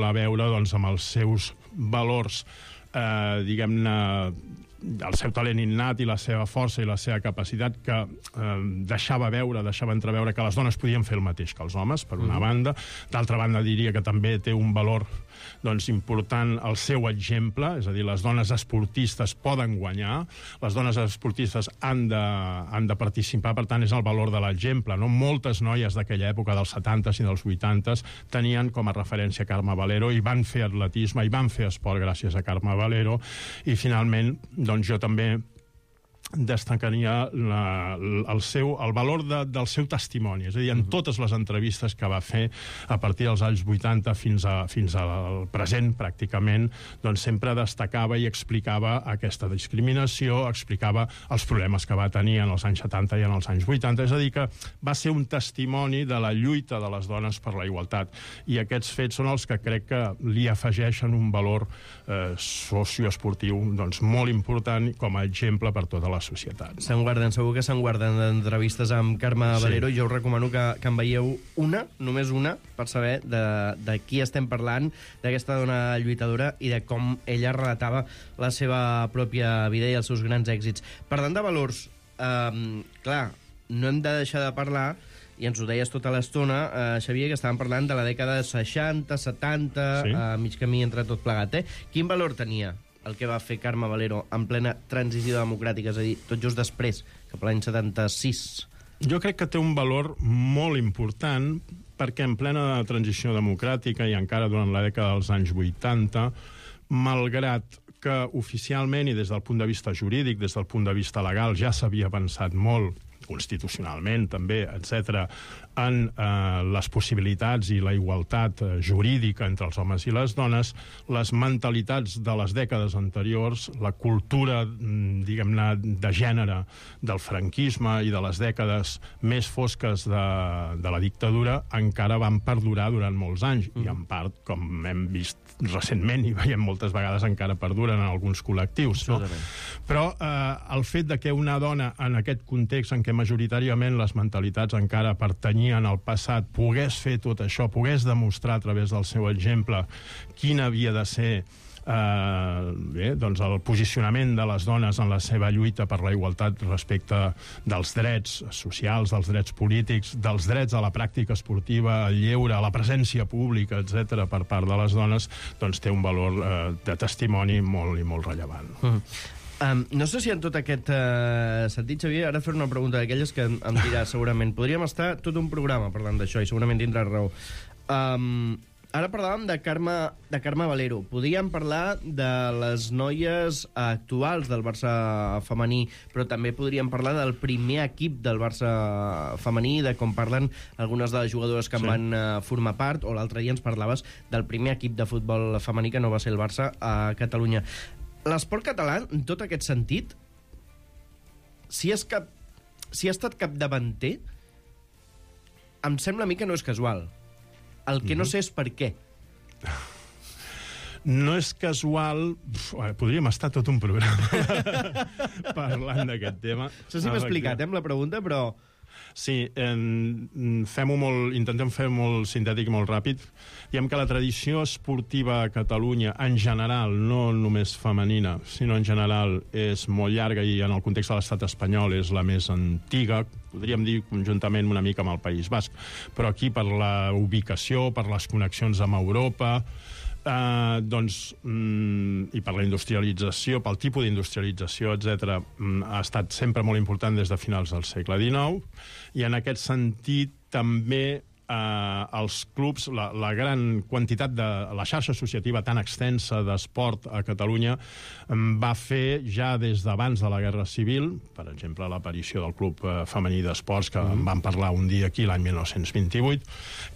a veure doncs, amb els seus valors, diguem-ne, el seu talent innat i la seva força i la seva capacitat, que deixava entreveure que les dones podien fer el mateix que els homes, per una banda. D'altra banda, diria que també té un valor important el seu exemple, és a dir, les dones esportistes poden guanyar, les dones esportistes han de participar, per tant, és el valor de l'exemple. No? Moltes noies d'aquella època, dels 70s i dels 80s, tenien com a referència Carme Valero i van fer atletisme i van fer esport gràcies a Carme Valero, i finalment doncs jo també destacaria el valor del seu testimoni, és a dir, en totes les entrevistes que va fer a partir dels anys 80 fins al present, pràcticament, doncs sempre destacava i explicava aquesta discriminació, explicava els problemes que va tenir en els anys 70 i en els anys 80, és a dir, que va ser un testimoni de la lluita de les dones per la igualtat, i aquests fets són els que crec que li afegeixen un valor socioesportiu doncs, molt important com a exemple per tota la societat. Segur que se'n guarden d'entrevistes amb Carme Valero. Jo us recomano que en veieu una, només una, per saber de qui estem parlant, d'aquesta dona lluitadora i de com ella relatava la seva pròpia vida i els seus grans èxits. Parlant de valors, clar, no hem de deixar de parlar, i ens ho deies tota l'estona, Xavier, que estàvem parlant de la dècada 60, 70, sí? Mig camí entre tot plegat. Quin valor tenia el que va fer Carme Valero en plena transició democràtica, és a dir, tot just després, cap a l'any 76? Jo crec que té un valor molt important, perquè en plena transició democràtica i encara durant la dècada dels anys 80, malgrat que oficialment i des del punt de vista jurídic, des del punt de vista legal, ja s'havia avançat molt, constitucionalment també, etc., en les possibilitats i la igualtat jurídica entre els homes i les dones, les mentalitats de les dècades anteriors, la cultura, diguem-ne, de gènere del franquisme i de les dècades més fosques de la dictadura encara van perdurar durant molts anys, i en part, com hem vist recentment i veiem moltes vegades, encara perduren en alguns col·lectius. No? Però el fet de que una dona en aquest context en què majoritàriament les mentalitats encara pertanyien al passat pogués fer tot això, pogués demostrar a través del seu exemple quin havia de ser doncs el posicionament de les dones en la seva lluita per la igualtat respecte dels drets socials, dels drets polítics, dels drets a la pràctica esportiva, al lleure, a la presència pública, etc., per part de les dones, doncs té un valor de testimoni molt i molt rellevant. No sé si en tot aquest sentit, Xavier, ara fer una pregunta d'aquelles que em dirà segurament. Podríem estar tot un programa parlant d'això i segurament tindràs raó. Ara parlàvem de Carme Valero. Podríem parlar de les noies actuals del Barça femení, però també podríem parlar del primer equip del Barça femení, de com parlen algunes de les jugadores que en van formar part, o l'altre dia ens parlaves del primer equip de futbol femení que no va ser el Barça a Catalunya. L'esport català, en tot aquest sentit, si ha estat capdavanter, em sembla a mi que no és casual. El que no sé és per què. No és casual... Podríem estar tot un programa parlant d'aquest tema. No sé si m'he explicat, amb la pregunta, però... Sí, intentem fer molt sintètic i molt ràpid. Diem que la tradició esportiva a Catalunya, en general, no només femenina, sinó en general, és molt llarga i en el context de l'estat espanyol és la més antiga, podríem dir conjuntament una mica amb el País Basc, però aquí per la ubicació, per les connexions amb Europa, i per la industrialització, pel tipus d'industrialització, etc., ha estat sempre molt important des de finals del segle XIX, i en aquest sentit també els clubs, la gran quantitat de la xarxa associativa tan extensa d'esport a Catalunya va fer ja des d'abans de la Guerra Civil, per exemple l'aparició del Club Femení d'Esports, que en vam parlar un dia aquí l'any 1928,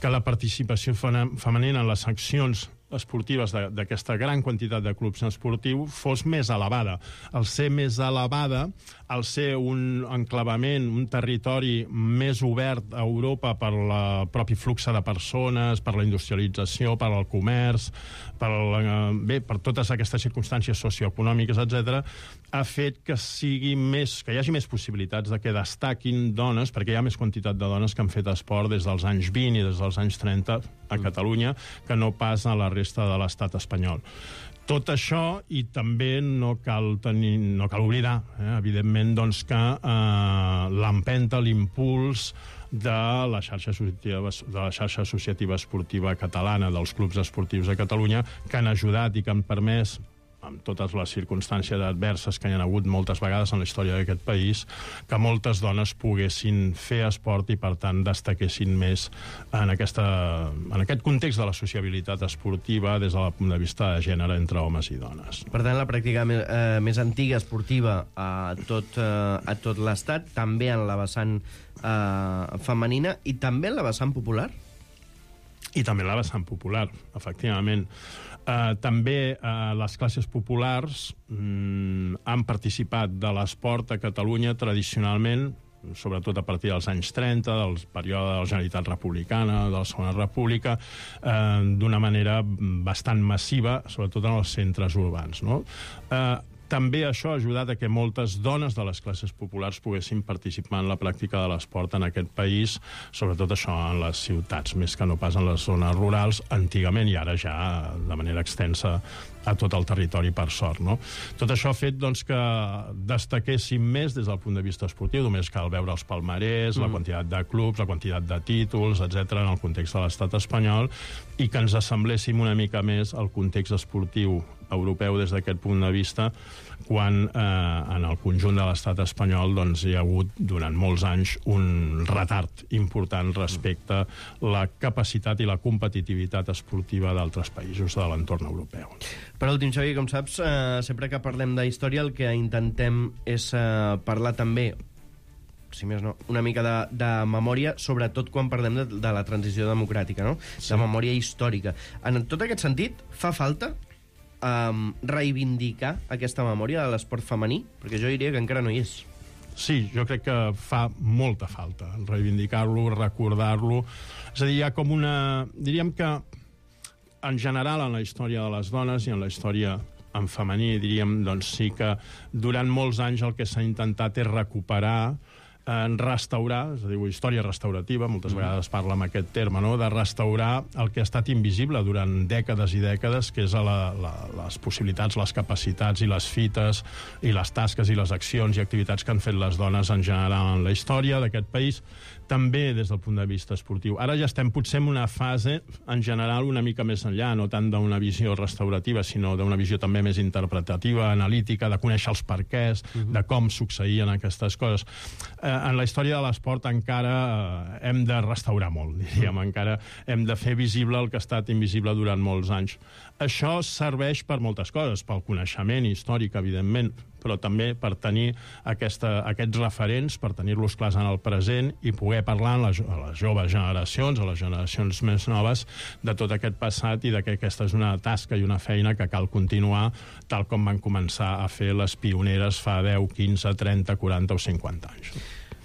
que la participació femenina en les seccions esportives d'aquesta gran quantitat de clubs esportius fos més elevada. Al ser més elevada, al ser un enclavament, un territori més obert a Europa per el propi flux de persones, per la industrialització, per al comerç, per totes aquestes circumstàncies socioeconòmiques, etc., ha fet que hi hagi més possibilitats de que destaquin dones, perquè hi ha més quantitat de dones que han fet esport des dels anys 20 i des dels anys 30 a Catalunya que no pas a la resta de l'estat espanyol. Tot això, i també no cal oblidar, evidentment, doncs, que l'empenta, l'impuls de la xarxa associativa esportiva catalana, dels clubs esportius de Catalunya, que han ajudat i que han permès, amb totes les circumstàncies adverses que hi ha hagut moltes vegades en la història d'aquest país, que moltes dones poguessin fer esport i, per tant, destaquessin més en aquest context de la sociabilitat esportiva des del punt de vista de gènere entre homes i dones. Per tant, la pràctica més antiga esportiva a tot l'estat, també en la vessant femenina i també en la vessant popular? I també en la vessant popular, efectivament. També les classes populars han participat de l'esport a Catalunya tradicionalment, sobretot a partir dels anys 30, del període de la Generalitat Republicana, de la Segona República, d'una manera bastant massiva, sobretot en els centres urbans, no? També això ha ajudat a que moltes dones de les classes populars poguessin participar en la pràctica de l'esport en aquest país, sobretot això en les ciutats, més que no pas en les zones rurals, antigament, i ara ja de manera extensa a tot el territori, per sort, no? Tot això ha fet, doncs, que destaquéssim més des del punt de vista esportiu. Només cal veure els palmarès, la quantitat de clubs, la quantitat de títols, etc., en el context de l'estat espanyol, i que ens assembléssim una mica més al context esportiu europeu des d'aquest punt de vista, quan en el conjunt de l'estat espanyol doncs, hi ha hagut durant molts anys un retard important respecte a la capacitat i la competitivitat esportiva d'altres països de l'entorn europeu. Per últim, Xavi, com saps, sempre que parlem de història el que intentem és parlar també, si més no, una mica de memòria, sobretot quan parlem de la transició democràtica, no? Sí. De memòria històrica. En tot aquest sentit, fa falta reivindicar aquesta memòria de l'esport femení? Perquè jo diria que encara no hi és. Sí, jo crec que fa molta falta reivindicar-lo, recordar-lo. És a dir, hi ha com una... Diríem que, en general, en la història de les dones i en la història en femení, diríem, doncs sí que durant molts anys el que s'ha intentat és recuperar, restaurar, és a dir, història restaurativa, moltes vegades parla amb aquest terme, no?, de restaurar el que ha estat invisible durant dècades i dècades, que és les possibilitats, les capacitats i les fites i les tasques i les accions i activitats que han fet les dones en general en la història d'aquest país, també des del punt de vista esportiu. Ara ja estem potser en una fase, en general, una mica més enllà, no tant d'una visió restaurativa, sinó d'una visió també més interpretativa, analítica, de conèixer els perquès, de com succeïen aquestes coses. En la història de l'esport encara hem de restaurar molt, diríem, encara hem de fer visible el que ha estat invisible durant molts anys. Això serveix per moltes coses, pel coneixement històric, evidentment, però també per tenir aquests referents, per tenir-los clars en el present i poder parlar a les joves generacions, a les generacions més noves, de tot aquest passat i que aquesta és una tasca i una feina que cal continuar tal com van començar a fer les pioneres fa 10, 15, 30, 40 o 50 anys.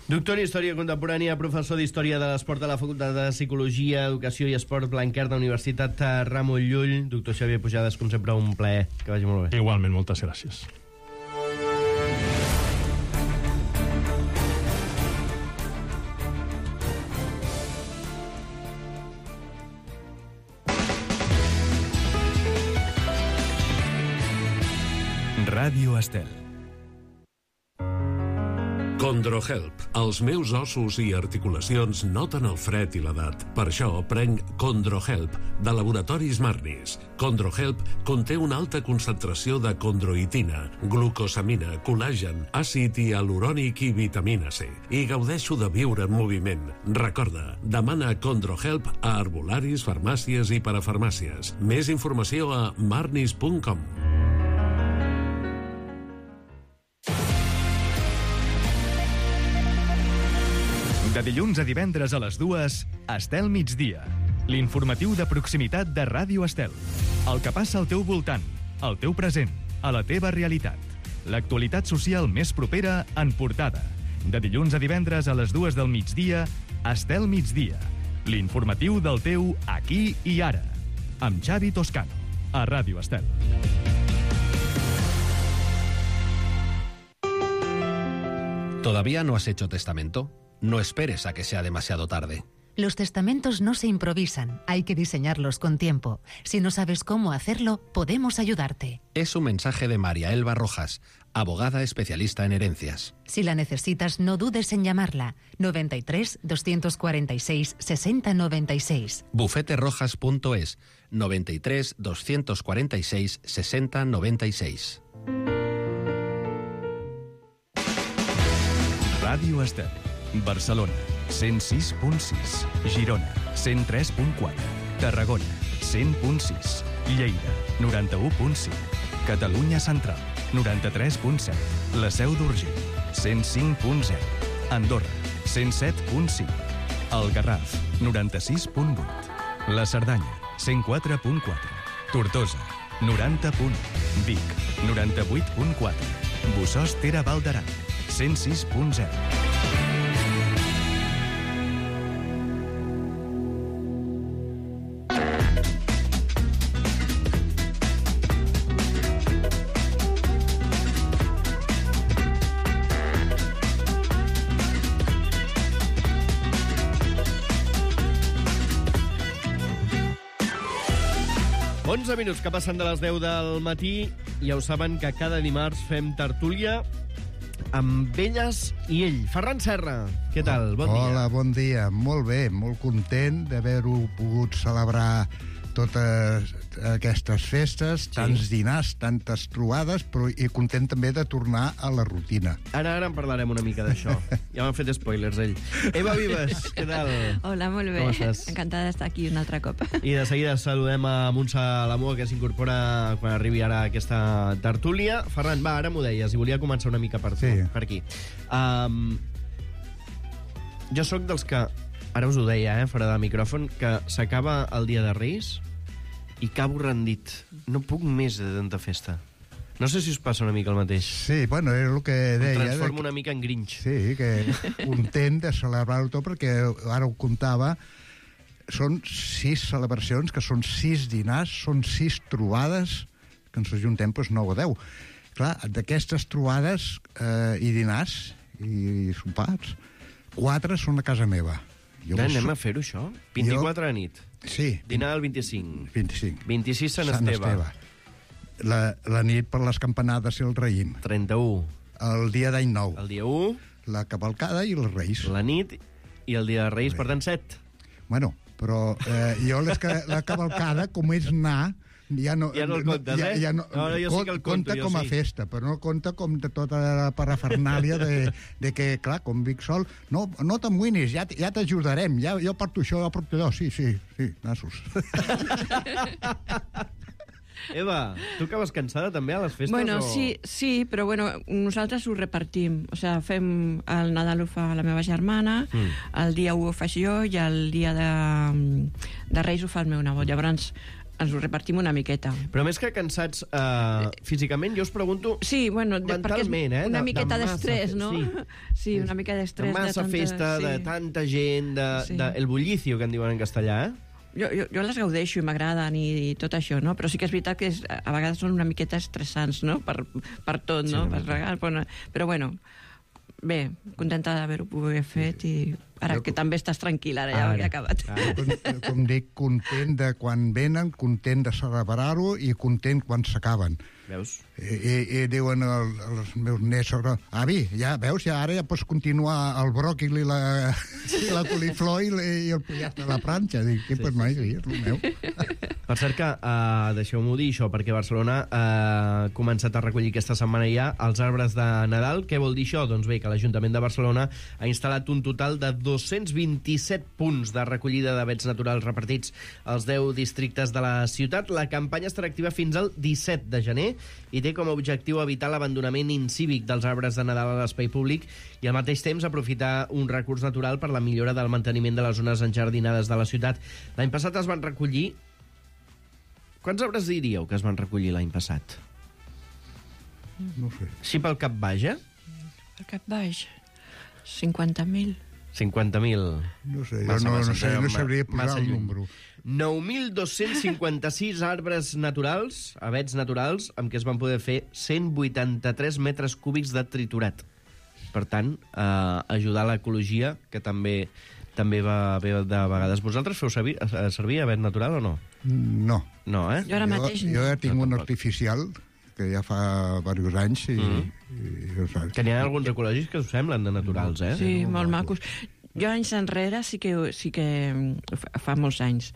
Doctor en Història Contemporània, professor d'Història de l'Esport a la Facultat de Psicologia, Educació i Esport Blanquerna, Universitat Ramon Llull. Doctor Xavier Pujades, com sempre, un plaer. Que vagi molt bé. Igualment, moltes gràcies. Ràdio Estel. CondroHelp. Els meus ossos i articulacions noten el fred i l'edat. Per això prenc CondroHelp, de Laboratoris Marnis. CondroHelp conté una alta concentració de condroitina, glucosamina, col·làgen, àcid hialurònic i vitamina C. I gaudeixo de viure en moviment. Recorda, demana CondroHelp a herbolaris, farmàcies i parafarmàcies. Més informació a marnis.com. De dilluns a divendres a les 2, Estel Migdia. L'informatiu de proximitat de Ràdio Estel. El que passa al teu voltant, al teu present, a la teva realitat. L'actualitat social més propera en portada. De dilluns a divendres a les 2 del migdia, Estel Migdia. L'informatiu del teu aquí i ara. Amb Xavi Toscano, a Ràdio Estel. ¿Todavía no has hecho testamento? No esperes a que sea demasiado tarde. Los testamentos no se improvisan, hay que diseñarlos con tiempo. Si no sabes cómo hacerlo, podemos ayudarte. Es un mensaje de María Elba Rojas, abogada especialista en herencias. Si la necesitas, no dudes en llamarla. 93 246 6096. Bufeterojas.es 93 246 6096. Ràdio Estel, Barcelona, 106.6, Girona, 103.4, Tarragona, 100.6, Lleida, 91.5, Catalunya Central, 93.7, la Seu d'Urgell, 105.0, Andorra, 107.5, el Garraf, 96.8, la Cerdanya, 104.4, Tortosa, 90.1, Vic, 98.4, Bossòst-Tere Val d'Aran, 106.0. Minuts que passen de les 10 del matí. Ja ho saben que cada dimarts fem tertúlia amb elles i ell. Ferran Serra, què tal? Bon dia. Hola, bon dia. Molt bé, molt content d'haver-ho pogut celebrar totes aquestes festes, tants dinars, tantes trobades, però i content també de tornar a la rutina. Ara en parlarem una mica d'això. Ja m'han fet spoilers, ell. Eva Vives, què tal? Hola, molt bé. Com estàs? Encantada d'estar aquí un altre cop. I de seguida saludem a Montse Lamua, que s'incorpora quan arribi ara aquesta tertúlia. Ferran, va, ara m'ho deies, i volia començar una mica per aquí. Jo sóc dels que, ara us ho deia, fora de micròfon, que s'acaba el dia de Reis i acabo rendit. No puc més de tanta festa. No sé si us passa una mica el mateix. Sí, bueno, és el que deia. Em transformo una mica en Grinch. Sí, que content de celebrar-ho tot, perquè ara ho comptava, són 6 celebracions, que són 6 dinars, són 6 trobades, que ens ajuntem 9 o 10. Clar, d'aquestes trobades i dinars i sopars, 4 són a casa meva. Anem a fer-ho, això? 24 a nit. Sí. Dinar el 25. 26 Sant Esteve. Esteve. La nit per les campanades i el raïm. 31. El dia d'any nou. El dia 1. La cavalcada i els reis. La nit i el dia de Reis, per tant, 7. Bueno, però jo la cavalcada, com és anar, ja no el comptes, ja no, jo sí que el compto, compta com a festa, però no compta com de tota la parafernàlia de que, clar, com Vic Sol, no t'amoïnis, ja t'ajudarem, jo porto això, jo porto allò, sí, nassos. Eva, tu acabes cansada també a les festes? Bueno, sí, però bueno, nosaltres ho repartim. O sigui, fem el Nadal ho fa la meva germana, el dia 1 ho faig jo i el dia de Reis ho fa el meu nebot. Llavors ens ho repartim una miqueta. Però més que cansats físicament, jo us pregunto... Sí, bueno, mentalment, una miqueta d'estrès, no? Sí, una mica d'estrès. De massa festa, de tanta gent, el bullicio, que en diuen en castellà, Jo les gaudeixo i m'agraden i tot això, no? Però sí que és veritat que a vegades són una miqueta estressants, no? Per tot, no? Però bueno, bé, contenta d'haver-ho pogut fet i ara que també estàs tranquil, ara ja ho he acabat. Com dic, content de quan venen, content de celebrar-ho i content quan s'acaben. Veus? I diuen els meus nets, avi, ja veus, ara ja pots continuar el bròquil i la coliflor i el pollastre a la planxa. Dic, pues no, és el meu. Per cert que, deixeu-m'ho dir això, perquè Barcelona ha començat a recollir aquesta setmana ja els arbres de Nadal. Què vol dir això? Doncs bé, que l'Ajuntament de Barcelona ha instal·lat un total de 227 punts de recollida d'avets naturals repartits als 10 districtes de la ciutat. La campanya estarà activa fins al 17 de gener i té com a objectiu evitar l'abandonament incívic dels arbres de Nadal a l'espai públic i al mateix temps aprofitar un recurs natural per la millora del manteniment de les zones enjardinades de la ciutat. L'any passat es van recollir... Quants arbres diríeu que es van recollir l'any passat? No sé. Sí, pel cap baix, Pel cap baix, 50.000. 50.000. No sé, jo no sabria posar el número. 9.256 arbres naturals, avets naturals, amb què es van poder fer 183 metres cúbics de triturat. Per tant, ajudar l'ecologia, que també també va bé de vegades. Vosaltres feu servir avet natural o no? No. No, eh? Jo ara mateix Jo ja tinc No, un tampoc. artificial que ja fa diversos anys i Que n'hi ha alguns ecològics que us semblen de naturals, eh? Sí, molt macos. Jo anys enrere sí que fa molts anys,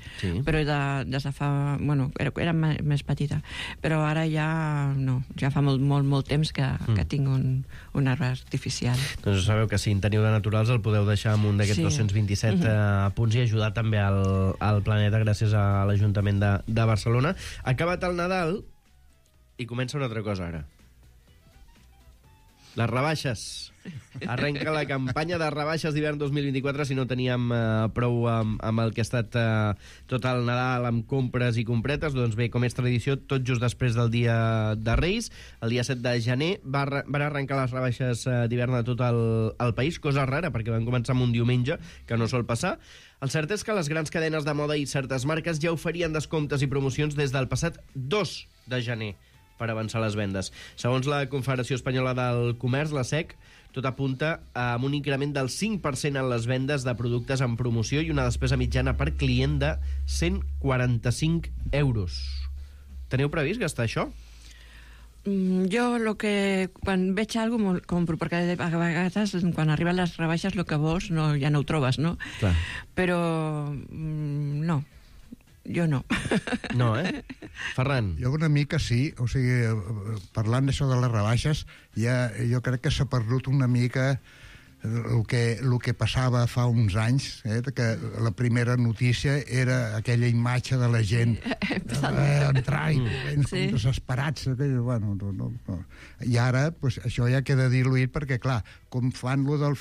però des de fa... Bueno, era més petita, però ara ja no, ja fa molt temps que tinc un arbre artificial. Doncs sabeu que si en teniu de naturals el podeu deixar amb un d'aquests 227 punts i ajudar també al planeta gràcies a l'Ajuntament de Barcelona. Ha acabat el Nadal i comença una altra cosa ara. Les rebaixes. Arrenca la campanya de rebaixes d'hivern 2024 si no teníem prou amb el que ha estat tot el Nadal amb compres i compretes. Doncs bé, com és tradició, tot just després del dia de Reis, el dia 7 de gener, van arrencar les rebaixes d'hivern a tot el país, cosa rara, perquè van començar amb un diumenge, que no sol passar. El cert és que les grans cadenes de moda i certes marques ja oferien descomptes i promocions des del passat 2 de gener per avançar les vendes. Segons la Confederació Espanyola del Comerç, la SEC, tot apunta amb un increment del 5% en les vendes de productes en promoció i una despesa mitjana per client de 145 euros. Teniu previst gastar això? Jo quan veig alguna cosa compro, perquè a vegades quan arriben les rebaixes el que vols ja no ho trobes, no? Clar. Però no. Jo no. No, eh? Ferran? Jo una mica sí, o sigui, parlant d'això de les rebaixes, jo crec que s'ha perdut una mica el que passava fa uns anys, que la primera notícia era aquella imatge de la gent entrar i com desesperats. Bueno, no. I ara pues, això ja queda diluït perquè, clar, com fan lo del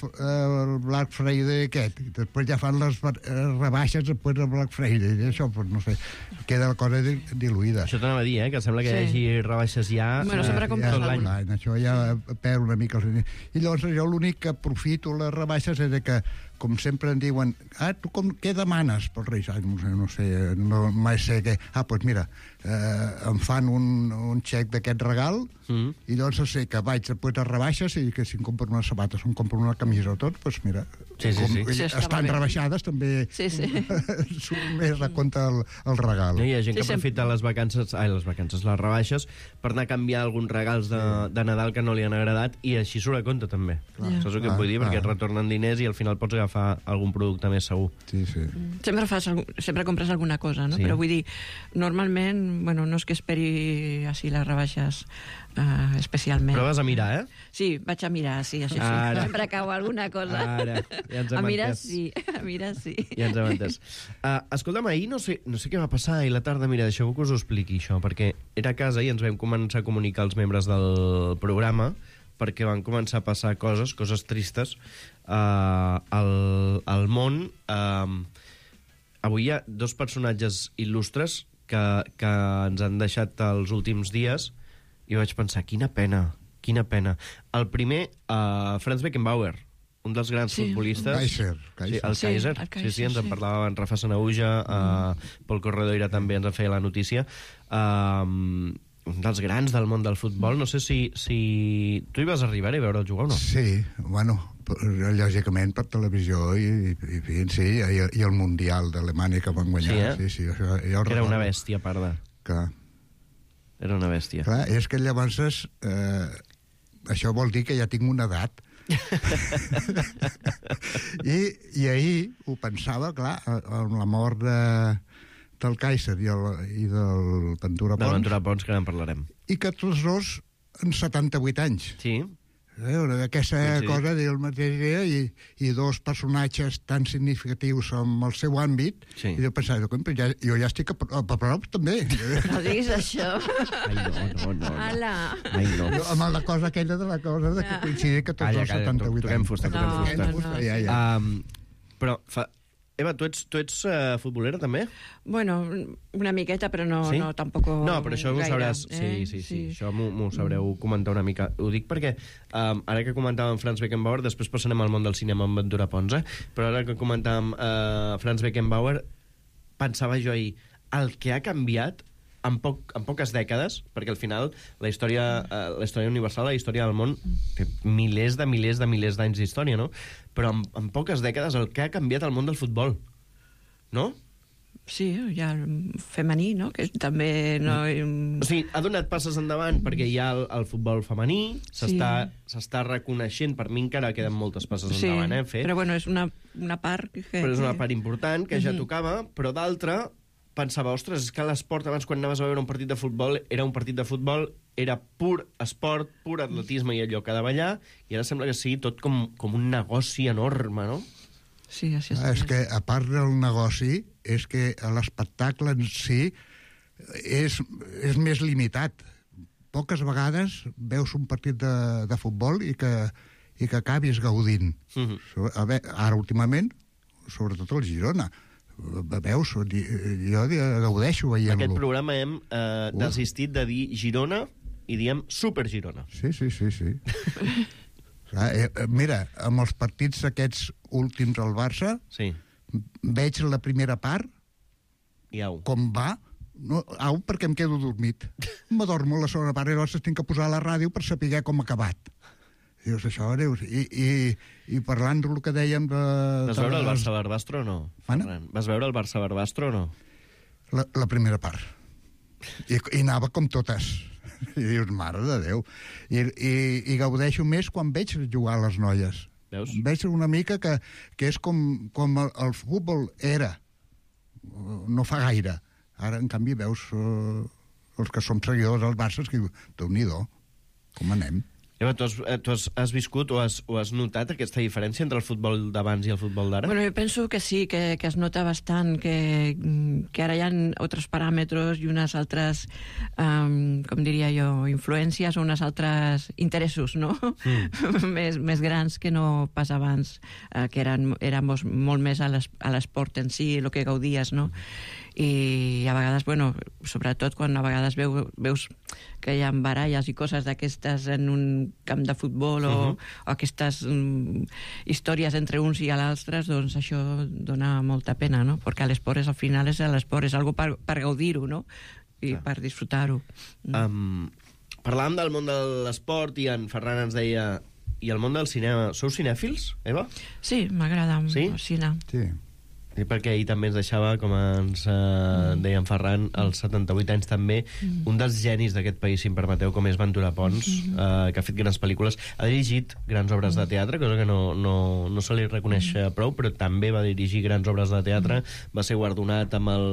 Black Friday aquest, i després ja fan les rebaixes després del Black Friday, i això, pues, no sé, queda la cosa diluïda. Això t'anava a dir, que sembla que hi hagi rebaixes ja... Bueno, sempre compres tot l'any. Això ja perd una mica... I llavors jo l'únic que aprofito les rebaixes és que, com sempre em diuen, tu què demanes pels Reis? No sé, mai sé què... Doncs mira, em fan un xec d'aquest regal i llavors sé que vaig després de rebaixes i que si em compro unes sabates o em compro una camisa o tot, doncs mira, estan rebaixades també surt més a compte el regal. Hi ha gent que aprofita les rebaixes per anar a canviar alguns regals de Nadal que no li han agradat i així surt a compte també. Saps el que vull dir? Perquè et retornen diners i al final pots agafar algun producte més segur. Sí. Sempre compres alguna cosa, no? Però vull dir, normalment, bueno, no és que esperi així les rebaixes especialment. Però vas a mirar, eh? Sí, vaig a mirar, sí, això sí. Ara. Sempre cau alguna cosa. Ara, ja ens hem entès. A mirar sí. Ja ens hem entès. Escolta'm, ahir no sé què va passar ahir a la tarda. Mira, deixeu que us ho expliqui, això, perquè era a casa i ens vam començar a comunicar als membres del programa perquè van començar a passar coses tristes al món. Avui hi ha dos personatges il·lustres que ens han deixat els últims dies i vaig pensar, quina pena. El primer, Franz Beckenbauer, un dels grans futbolistes. Kaiser. Sí, el Kaiser. Sí, ens en parlava en Rafa Sanauja, Pol Corredoira també ens en feia la notícia. Un dels grans del món del futbol. No sé si tu hi vas arribar a veure'l jugar o no? Sí, bueno, lògicament per televisió i el Mundial d'Alemanya que van guanyar. Sí, això era una bèstia, a part de... Clar. Era una bèstia. Clar, és que llavors això vol dir que ja tinc una edat. I ahir ho pensava, clar, amb la mort del Kaiser i del Ventura Pons. Del Ventura Pons, que ara en parlarem. I que tots dos en 78 anys. Sí. Aquesta cosa del mateix dia i dos personatges tan significatius amb el seu àmbit, i jo pensava, jo ja estic a prop també. No diguis això. No. Ala. Amb la cosa aquella de la cosa de que coincidir que tots els 78 anys. Toquem fusta. Però, Eva, tu ets futbolera també? Bueno, una miqueta, però no tampoc gaire. No, però això ho sabràs. Sí. Això m'ho sabreu comentar una mica. Ho dic perquè, ara que comentàvem Franz Beckenbauer, després passarem al món del cinema amb Ventura Pons, però ara que comentàvem Franz Beckenbauer, pensava jo ahir, el que ha canviat en poques dècades, perquè al final la història universal, la història del món, té milers d'anys d'història, no? Però en poques dècades el que ha canviat el món del futbol, no? Sí, hi ha el femení, no? Que també no... O sigui, ha donat passes endavant perquè hi ha el futbol femení, s'està reconeixent, per mi encara queden moltes passes endavant, fer. Però bueno, és una part Però és una part important que ja tocava, però d'altra pensava, ostres, és que l'esport abans quan anaves a veure un partit de futbol era un partit de futbol, era pur esport, pur atletisme i allò que ha de ballar, i ara sembla que sigui tot com un negoci enorme, no? Sí, així és que, a part del negoci, és que l'espectacle en si és més limitat. Poques vegades veus un partit de futbol i que acabis gaudint. Ara, últimament, sobretot el Girona, veus, jo gaudeixo veient-lo. Aquest programa hem desistit de dir Girona i diem Super Girona. Sí. Mira, amb els partits aquests últims al Barça, veig la primera part, com va, perquè em quedo dormit. M'adormo a la segona part i llavors tinc que posar a la ràdio per saber com ha acabat. Dius, això, dius... I parlant del que dèiem de... Vas veure el Barça-Barbastro o no? Vas veure el Barça-Barbastro o no? La primera part. I anava com totes. I dius, mare de Déu. I gaudeixo més quan veig jugar a les noies. Veus? Veig una mica que és com el futbol era. No fa gaire. Ara, en canvi, veus els que som seguidors del Barça, que Déu-n'hi-do, com anem. Eva, tu has viscut o has notat aquesta diferència entre el futbol d'abans i el futbol d'ara? Bueno, jo penso que sí, que es nota bastant, que ara hi ha altres paràmetres i unes altres, com diria jo, influències o unes altres interessos, no? més grans que no pas abans, que éramos molt més a l'esport en si, el que gaudies, no? I a vegades, bueno, sobretot quan a vegades veus que hi ha baralles i coses d'aquestes en un camp de futbol o aquestes històries entre uns i l'altres, doncs això dona molta pena, no? Perquè l'esport al final és l'esport, és algo per gaudir-ho, no? I per disfrutar-ho. Parlàvem del món de l'esport i en Ferran ens deia i el món del cinema. Sou cinèfils, Eva? Sí, m'agrada el cine. Sí. Sí, perquè ahir també ens deixava, com ens deia en Ferran, als 78 anys també, un dels genis d'aquest país, si em permeteu, com és Ventura Pons, que ha fet grans pel·lícules, ha dirigit grans obres de teatre, cosa que no se li reconeix prou, però també va dirigir grans obres de teatre, va ser guardonat amb el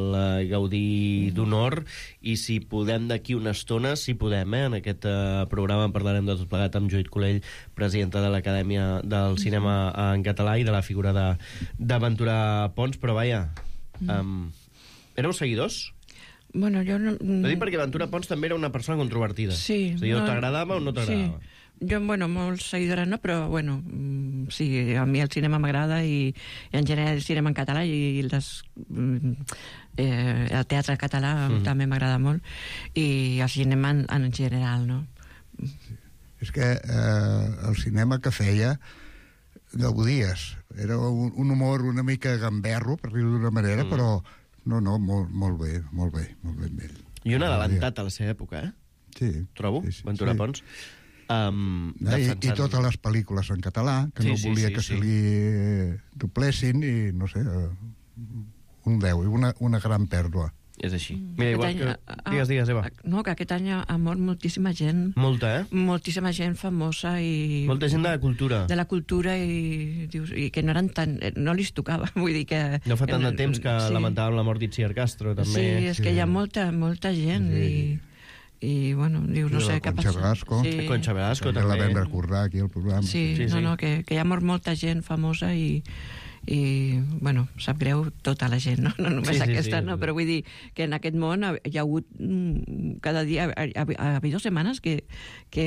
Gaudí d'Honor, i si podem d'aquí una estona, si podem, en aquest programa en parlarem de tot plegat amb Judit Colell, presidenta de l'Acadèmia del Cinema en Català i de la figura de Ventura Pons, però vaja, éreu seguidors? Bueno, jo no... Ho dic perquè Ventura Pons també era una persona controvertida. Sí. O sigui, o t'agradava o no t'agradava. Sí. Jo, bueno, molt seguidora no, però, bueno, sí, a mi el cinema m'agrada i en general el cinema en català i el teatre català també m'agrada molt i el cinema en general, no? Sí. És que el cinema que feia gaudies. Era un humor una mica gamberro, per dir-ho d'una manera, però molt bé. I un adelantat a la seva època, Sí. Trobo, Ventura Pons. I totes les pel·lícules en català, que no volia que se li doblessin, i no sé, un 10, i una gran pèrdua. És així. Mira, igual que... Digues, Eva. No, que aquest any ha mort moltíssima gent. Molta, Moltíssima gent famosa i... Molta gent de la cultura. De la cultura i que no eren tan... No li tocava, vull dir que... No fa tant de temps que lamentàvem la mort d'Itziar Castro, també. Sí, és que hi ha molta gent i bueno, dius, no sé què passa. Concha Velasco, també. La vam recordar aquí al programa. Sí, que hi ha mort molta gent famosa i bueno, sap greu tota la gent, no només aquesta, no? Però vull dir que en aquest món hi ha hagut cada dia, ha hagut 2 setmanes que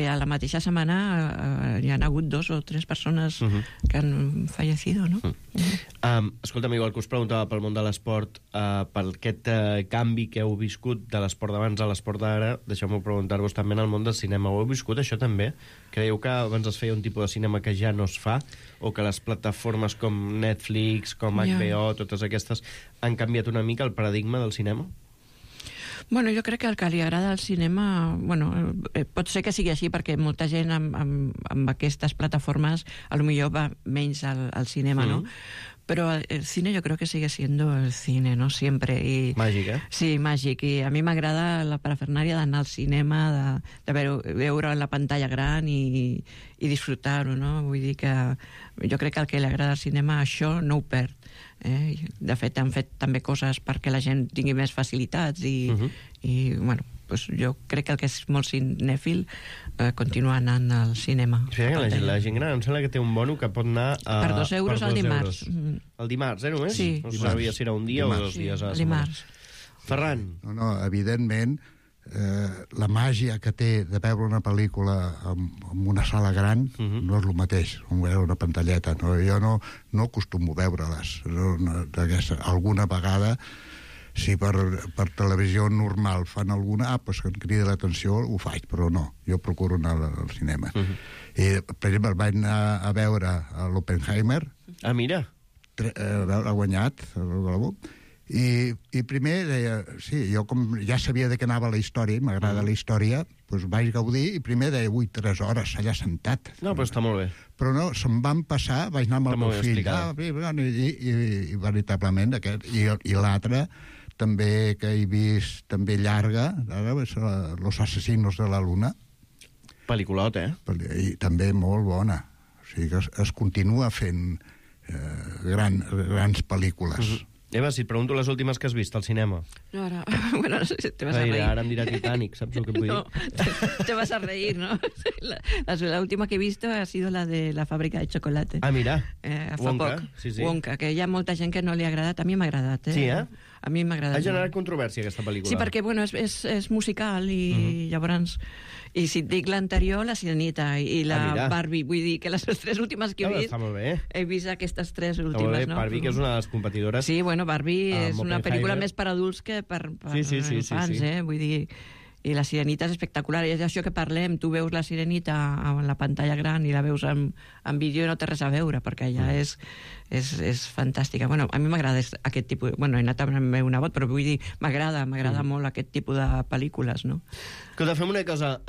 a la mateixa setmana hi han hagut 2 o 3 persones que han fallecido, no? Escolta'm, igual que us preguntava pel món de l'esport, per aquest canvi que heu viscut de l'esport d'abans a l'esport d'ara, deixeu-me preguntar-vos també en el món del cinema. Ho heu viscut, això també? Creieu que abans es feia un tipus de cinema que ja no es fa? O que les plataformes com Netflix, com HBO, totes aquestes, han canviat una mica el paradigma del cinema? Bueno, jo crec que el que li agrada al cinema... Bueno, pot ser que sigui així, perquè molta gent amb aquestes plataformes potser va menys al cinema, ¿no? Pero el cine yo creo que sigue siendo el cine, ¿no? Siempre. Y, màgic, eh? Sí, màgic. I a mi m'agrada la parafernària d'anar al cinema, de veure la pantalla gran i disfrutar-ho, no? Vull dir que jo crec que el que li agrada al cinema això no ho perd. De fet, han fet també coses perquè la gent tingui més facilitats i bueno, pues jo crec que el que és molt cinèfil continua anant al cinema. Sí, la gent gran em sembla que té un bono que pot anar per 2 euros al dimarts. El dimarts, només? Sí. No sabia si era un dia o 2 dies a la setmana. Dimarts. Ferran. No, evidentment, la màgia que té de veure una pel·lícula en una sala gran no és el mateix, com veure una pantalleta. No? Jo no acostumo a veure-les. Alguna vegada, si per televisió normal fan alguna, pues que em crida l'atenció, ho faig, però no. Jo procuro anar al cinema. I, per exemple, vaig anar a veure l'Oppenheimer. Ah, mira. Ha guanyat el Globo. I primer deia, sí, jo com ja sabia de què anava la història, m'agrada la història, doncs vaig gaudir, i primer deia, 3 hores allà sentat. No, però està molt bé. Però no, se'm van passar, vaig anar amb el meu fill, i veritablement, i l'altre, també que he vist, també llarga, Los asesinos de la luna. Pel·liculot, I també molt bona. O sigui que es continua fent grans pel·lícules. Eva, si et pregunto les últimes que has vist al cinema. No, ara... Bueno, no sé si te vas a reír. Ara em dirà Titanic, saps el que vull dir? No, te vas a reír, ¿no? La última que he visto ha sido la de la fábrica de chocolate. Ah, mira. Wonka. Sí. Wonka, que hi ha molta gent que no li ha agradat. A mi m'ha agradat, Sí, A mi m'ha agradat. Ha generat controvèrsia, aquesta pel·lícula. Sí, perquè, bueno, és musical i llavors... I si et dic l'anterior, la Sirenita i la Barbie, vull dir que les 3 últimes que he vist... Està molt bé. He vist aquestes 3 últimes, no? Barbie, que és una de les competidores... Sí, bueno, Barbie és una pel·lícula més per adults que per infants, Vull dir... I la Sirenita és espectacular, i és això que parlem, tu veus la Sirenita en la pantalla gran i la veus en vídeo i no té res a veure, perquè ja és fantàstica. Bueno, a mi m'agrada aquest tipus... Bueno, he anat amb el meu nebot, però vull dir, m'agrada molt aquest tipus de pel·lícules, no? Escolta, fem una cosa,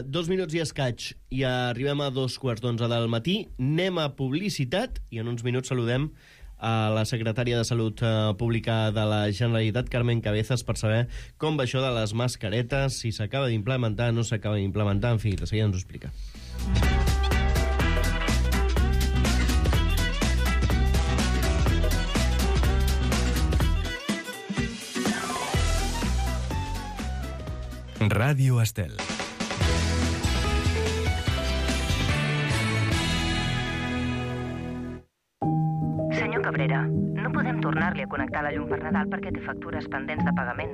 2 minuts i escaig, i arribem a 2:15 del matí, anem a publicitat, i en uns minuts saludem a la secretària de Salut Pública de la Generalitat, Carmen Cabezas, per saber com va això de les mascaretes, si s'acaba d'implementar, no s'acaba d'implementar, en fi, de seguida ens ho explica. Ràdio Estel. Senyor Cabrera, no podem tornar-li a connectar la llum per Nadal perquè té factures pendents de pagament.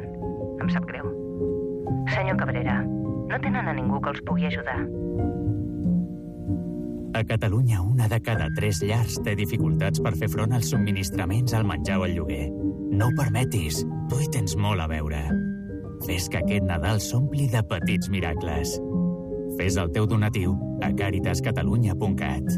Em sap greu. Senyor Cabrera, no tenen a ningú que els pugui ajudar. A Catalunya, 1 de cada 3 llars té dificultats per fer front als subministraments, al menjar o al lloguer. No ho permetis, tu hi tens molt a veure. Fes que aquest Nadal s'ompli de petits miracles. Fes el teu donatiu a caritascatalunya.cat.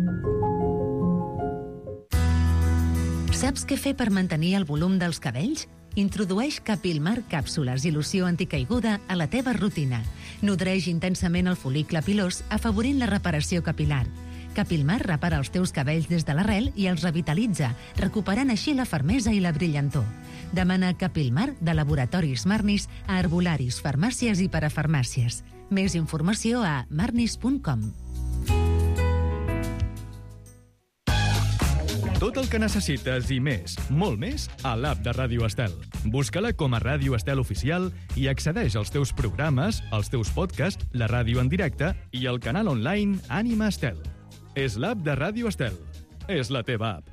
Saps què fer per mantenir el volum dels cabells? Introdueix Capilmar càpsules i loció anticaiguda a la teva rutina. Nodreix intensament el fol·licle pilós, afavorint la reparació capilar. Capilmar repara els teus cabells des de l'arrel i els revitalitza, recuperant així la fermesa i la brillantor. Demana Capilmar de Laboratoris Marnis a herbolaris, farmàcies i parafarmàcies. Més informació a marnis.com. Tot el que necessites i més, molt més, a l'app de Ràdio Estel. Busca-la com a Ràdio Estel Oficial i accedeix als teus programes, als teus podcasts, la ràdio en directe i el canal online Ànima Estel. És l'app de Ràdio Estel. És la teva app.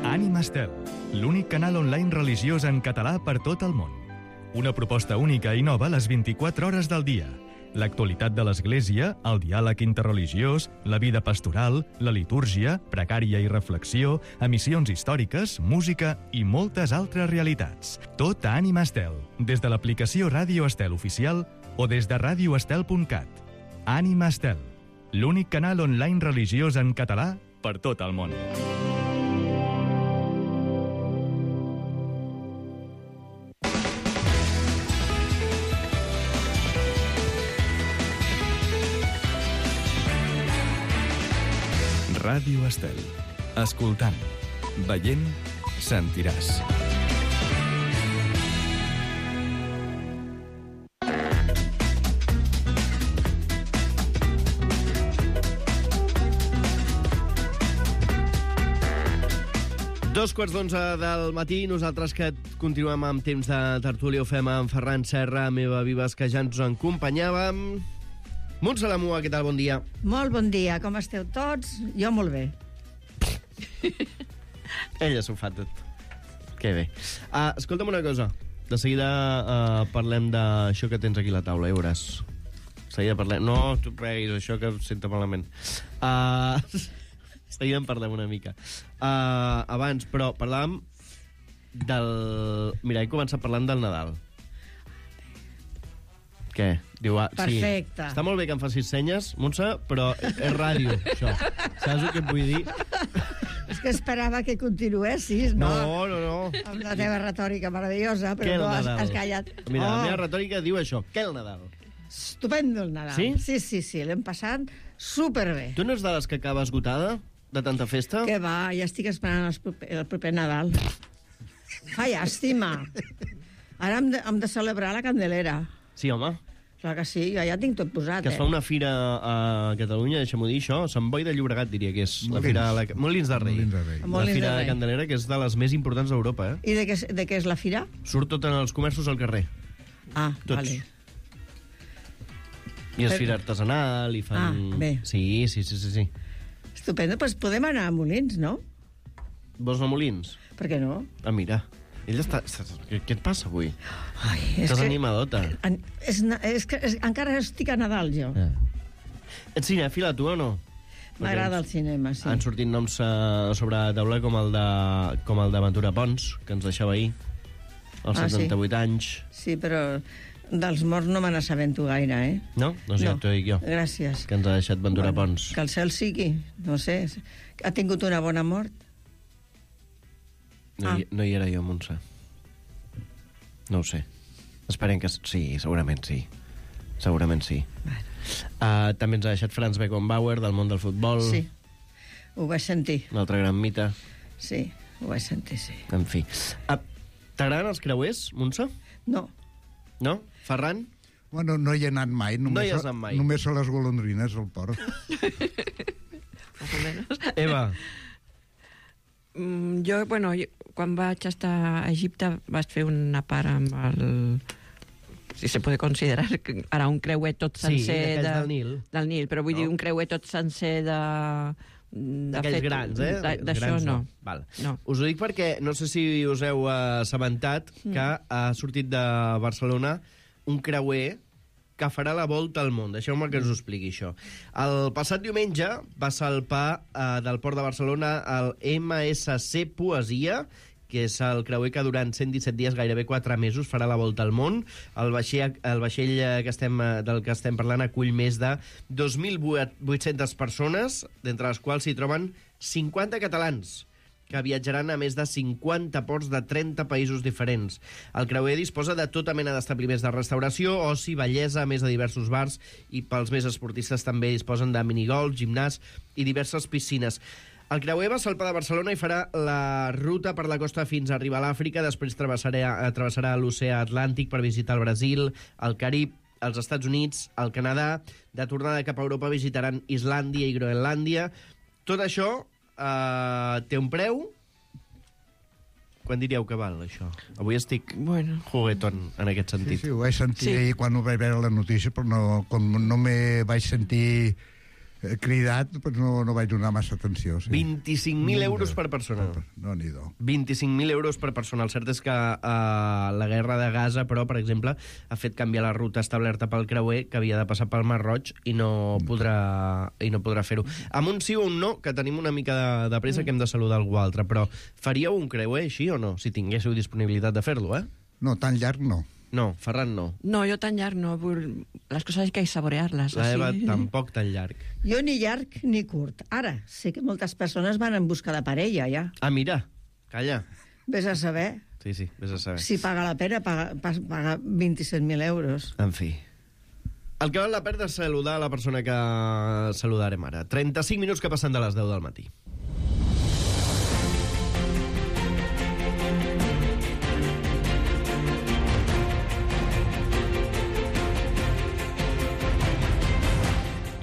Ànima Estel, l'únic canal online religiós en català per tot el món. Una proposta única i nova les 24 hores del dia. L'actualitat de l'Església, el diàleg interreligiós, la vida pastoral, la litúrgia, pregària i reflexió, emissions històriques, música i moltes altres realitats. Tot a Ànima Estel, des de l'aplicació Ràdio Estel Oficial o des de radioestel.cat. Ànima Estel, l'únic canal online religiós en català per tot el món. Ràdio Estel. Escoltant, veient, sentiràs. Dos quarts d'11 del matí, nosaltres que continuem amb temps de tertúlia, ho fem amb Ferran Serra, Meva Vives, que ja ens acompanyàvem. Montse Lamua, què tal? Bon dia. Molt bon dia, com esteu tots? Jo molt bé. Ella s'ho fa tot. Que bé. Escolta'm una cosa. De seguida parlem d'això que tens aquí a la taula, ja veuràs. De seguida parlem... No, tu pleguis, això que em senta malament. De seguida en parlem una mica. Abans, però, parlàvem del... Mira, he començat parlant del Nadal. Què? Diu, perfecte. Sí. Està molt bé que em facis senyes, Montse, però és ràdio, això. Saps el que et vull dir? És que esperava que continuessis, no? No. Amb la teva retòrica meravellosa, però no has callat. Mira, la meva retòrica diu això. Què el Nadal? Estupendo el Nadal. Sí? Sí, l'hem passat superbé. Tu no ets de les que acaba esgotada, de tanta festa? Que va, ja estic esperant el proper Nadal. Fa llàstima. Ara hem de celebrar la Candelera. Sí, home. Clar que sí, jo ja tinc tot posat, Que es fa una fira a Catalunya, deixa'm-ho dir, això, Sant Boi de Llobregat, diria que és. La fira... Molins de Rei. La fira de Candelera, que és de les més importants d'Europa, eh? I de què és la fira? Surt tot en els comerços al carrer. Tots. Vale. I és fira artesanal, i fan... bé. Sí. Estupendo, doncs podem anar a Molins, no? Vols anar a Molins? Per què no? Mira. Ell està... Què et passa avui? Ai, estàs animadota. És que encara estic a Nadal, jo. Ets cinèfila, tu, o no? M'agrada el cinema, sí. Han sortit noms sobre la taula com el de Ventura Pons, que ens deixava ahir, als 78 anys. Sí, però dels morts no me n'assabento gaire, eh? No? Doncs ja t'ho dic jo. Gràcies. Que ens ha deixat Ventura Pons. Que el cel sigui, no sé. Ha tingut una bona mort? No hi era jo, Montse. No ho sé. Esperem que... Sí, segurament sí. Segurament sí. També ens ha deixat Franz Beckenbauer, del món del futbol. Sí, ho vaig sentir. Un altre gran mite. Sí, ho vaig sentir, sí. En fi. T'agraden els creuers, Montse? No. No? Ferran? Bueno, no hi he anat mai. No hi has anat mai. Només a les golondrines, al port. Eva? Jo, quan vaig estar a Egipte vaig fer una part amb el... Si se puede considerar ara un creuer tot sencer... Sí, del Nil. Del Nil, però vull dir un creuer tot sencer de... D'aquells grans, eh? D'això no. Val. No. Us ho dic perquè no sé si us heu assabentat que ha sortit de Barcelona un creuer que farà la volta al món. Deixeu-me que us ho expliqui, això. El passat diumenge va salpar del Port de Barcelona el MSC Poesia, que és el creuer que durant 117 dies, gairebé 4 mesos, farà la volta al món. El vaixell del que estem parlant acull més de 2.800 persones, d'entre les quals s'hi troben 50 catalans, que viatjaran a més de 50 ports de 30 països diferents. El creuer disposa de tota mena d'establiments de restauració, oci, bellesa, a més de diversos bars, i pels més esportistes també disposen de minigolf, gimnàs i diverses piscines. El creuer va salpar de Barcelona i farà la ruta per la costa fins a arribar a l'Àfrica, després travessarà l'oceà Atlàntic per visitar el Brasil, el Carib, els Estats Units, el Canadà. De tornada cap a Europa visitaran Islàndia i Groenlàndia. Tot això té un preu. Quan diríeu que val, això? Avui estic juguetón, en aquest sentit. Sí, ho vaig sentir ahir quan ho vaig veure la notícia, però com no me vaig sentir cridat, doncs no vaig donar massa atenció. Sí. 25.000 euros per persona. No, n'hi do. 25.000 euros per persona. El cert és que la guerra de Gaza, però, per exemple, ha fet canviar la ruta establerta pel creuer, que havia de passar pel Mar Roig, i no podrà fer-ho. Amb un sí o un no, que tenim una mica de pressa, que hem de saludar algú altre, però faríeu un creuer així o no? Si tinguéssiu disponibilitat de fer-lo, eh? No, tan llarg no. No, Ferran no. No, jo tan llarg no. Les coses hay que saborear-les. La Eva tampoc tan llarg. Jo ni llarg ni curt. Ara, sé que moltes persones van en busca de parella, ja. Mira, calla. Ves a saber. Sí, ves a saber. Si paga la pena, paga 27.000 euros. En fi. El que val la pena és saludar a la persona que saludarem ara. 35 minuts que passen de les 10 del matí.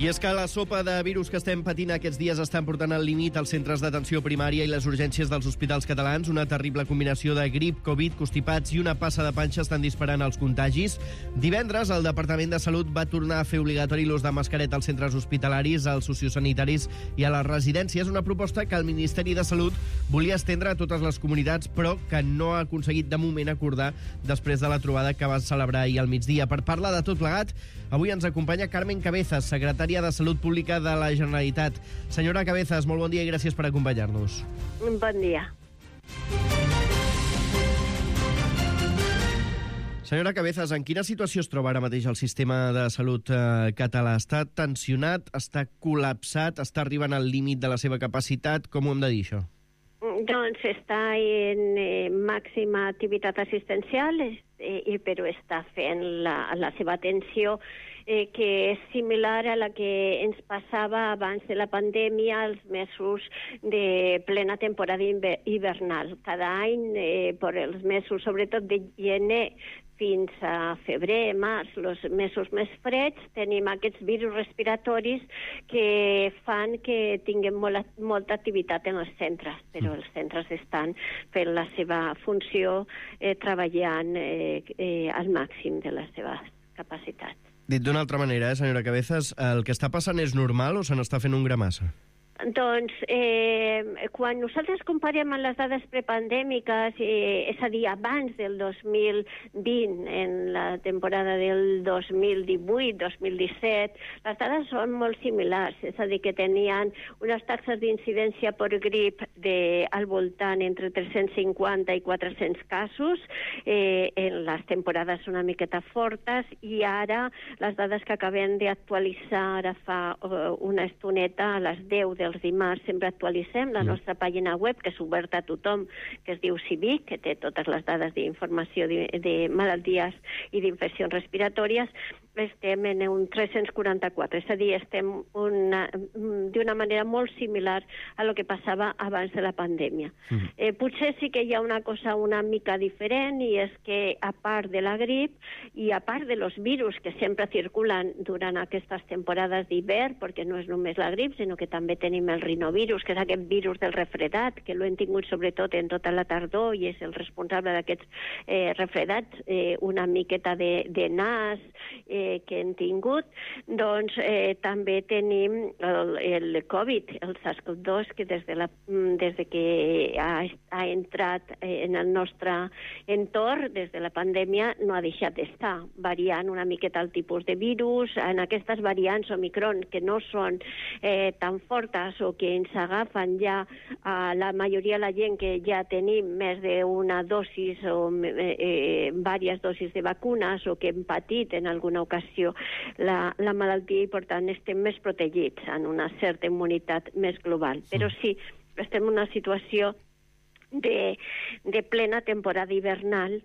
I és que la sopa de virus que estem patint aquests dies estan portant al límit els centres d'atenció primària i les urgències dels hospitals catalans. Una terrible combinació de grip, Covid, constipats i una passa de panxa estan disparant els contagis. Divendres, el Departament de Salut va tornar a fer obligatori l'ús de mascareta als centres hospitalaris, als sociosanitaris i a les residències. Una proposta que el Ministeri de Salut volia estendre a totes les comunitats, però que no ha aconseguit de moment acordar després de la trobada que va celebrar ahir al migdia. Per parlar de tot plegat, avui ens acompanya Carmen Cabezas, secretària de Salut Pública de la Generalitat. Senyora Cabezas, molt bon dia i gràcies per acompanyar-nos. Bon dia. Senyora Cabezas, en quina situació es troba ara mateix el sistema de salut català? Està tensionat, està col·lapsat, està arribant al límit de la seva capacitat? Com ho hem de dir, això? Doncs està en màxima activitat assistencial, però està fent la seva atenció que és similar a la que ens passava abans de la pandèmia als mesos de plena temporada hivernal. Cada any, per els mesos, sobretot de gener fins a febrer, març, els mesos més freds, tenim aquests virus respiratoris que fan que tinguem molta activitat en els centres, però els centres estan fent la seva funció treballant al màxim de les seves capacitats. Dit d'una altra manera, senyora Cabezas, el que està passant és normal o se n'està fent un gramassa? Doncs, quan nosaltres comparem amb les dades prepandèmiques, és a dir, abans del 2020, en la temporada del 2018-2017, les dades són molt similars, és a dir, que tenien unes taxes d'incidència per grip al voltant entre 350 i 400 casos, en les temporades una miqueta fortes, i ara les dades que acabem d'actualitzar ara fa una estoneta, a les 10 dels dimarts, sempre actualitzem la nostra pàgina web, que és oberta a tothom, que es diu CIVIC, que té totes les dades d'informació de malalties i d'infeccions respiratòries. Estem en un 344, és a dir, estem d'una manera molt similar a lo que passava abans de la pandèmia. Potser sí que hi ha una cosa una mica diferent, i és que a part de la grip i a part de los virus que sempre circulen durant aquestes temporades d'hivern, perquè no és només la grip, sinó que també tenim el rinovirus, que és aquest virus del refredat, que l'hem tingut sobretot en tota la tardor i és el responsable d'aquests refredats, una miqueta de nas que hem tingut. Doncs també tenim el Covid, el SARS-CoV-2, que des que ha entrat en el nostre entorn, des de la pandèmia, no ha deixat d'estar, variant una miqueta el tipus de virus. En aquestes variants Omicron, que no són tan fortes o que ens agafen ja a la majoria de la gent que ja tenim més d'una dosis o diverses dosis de vacunes o que hem patit en alguna ocasió la malaltia, i per tant estem més protegits en una certa immunitat més global. Però sí, estem en una situació de plena temporada hivernal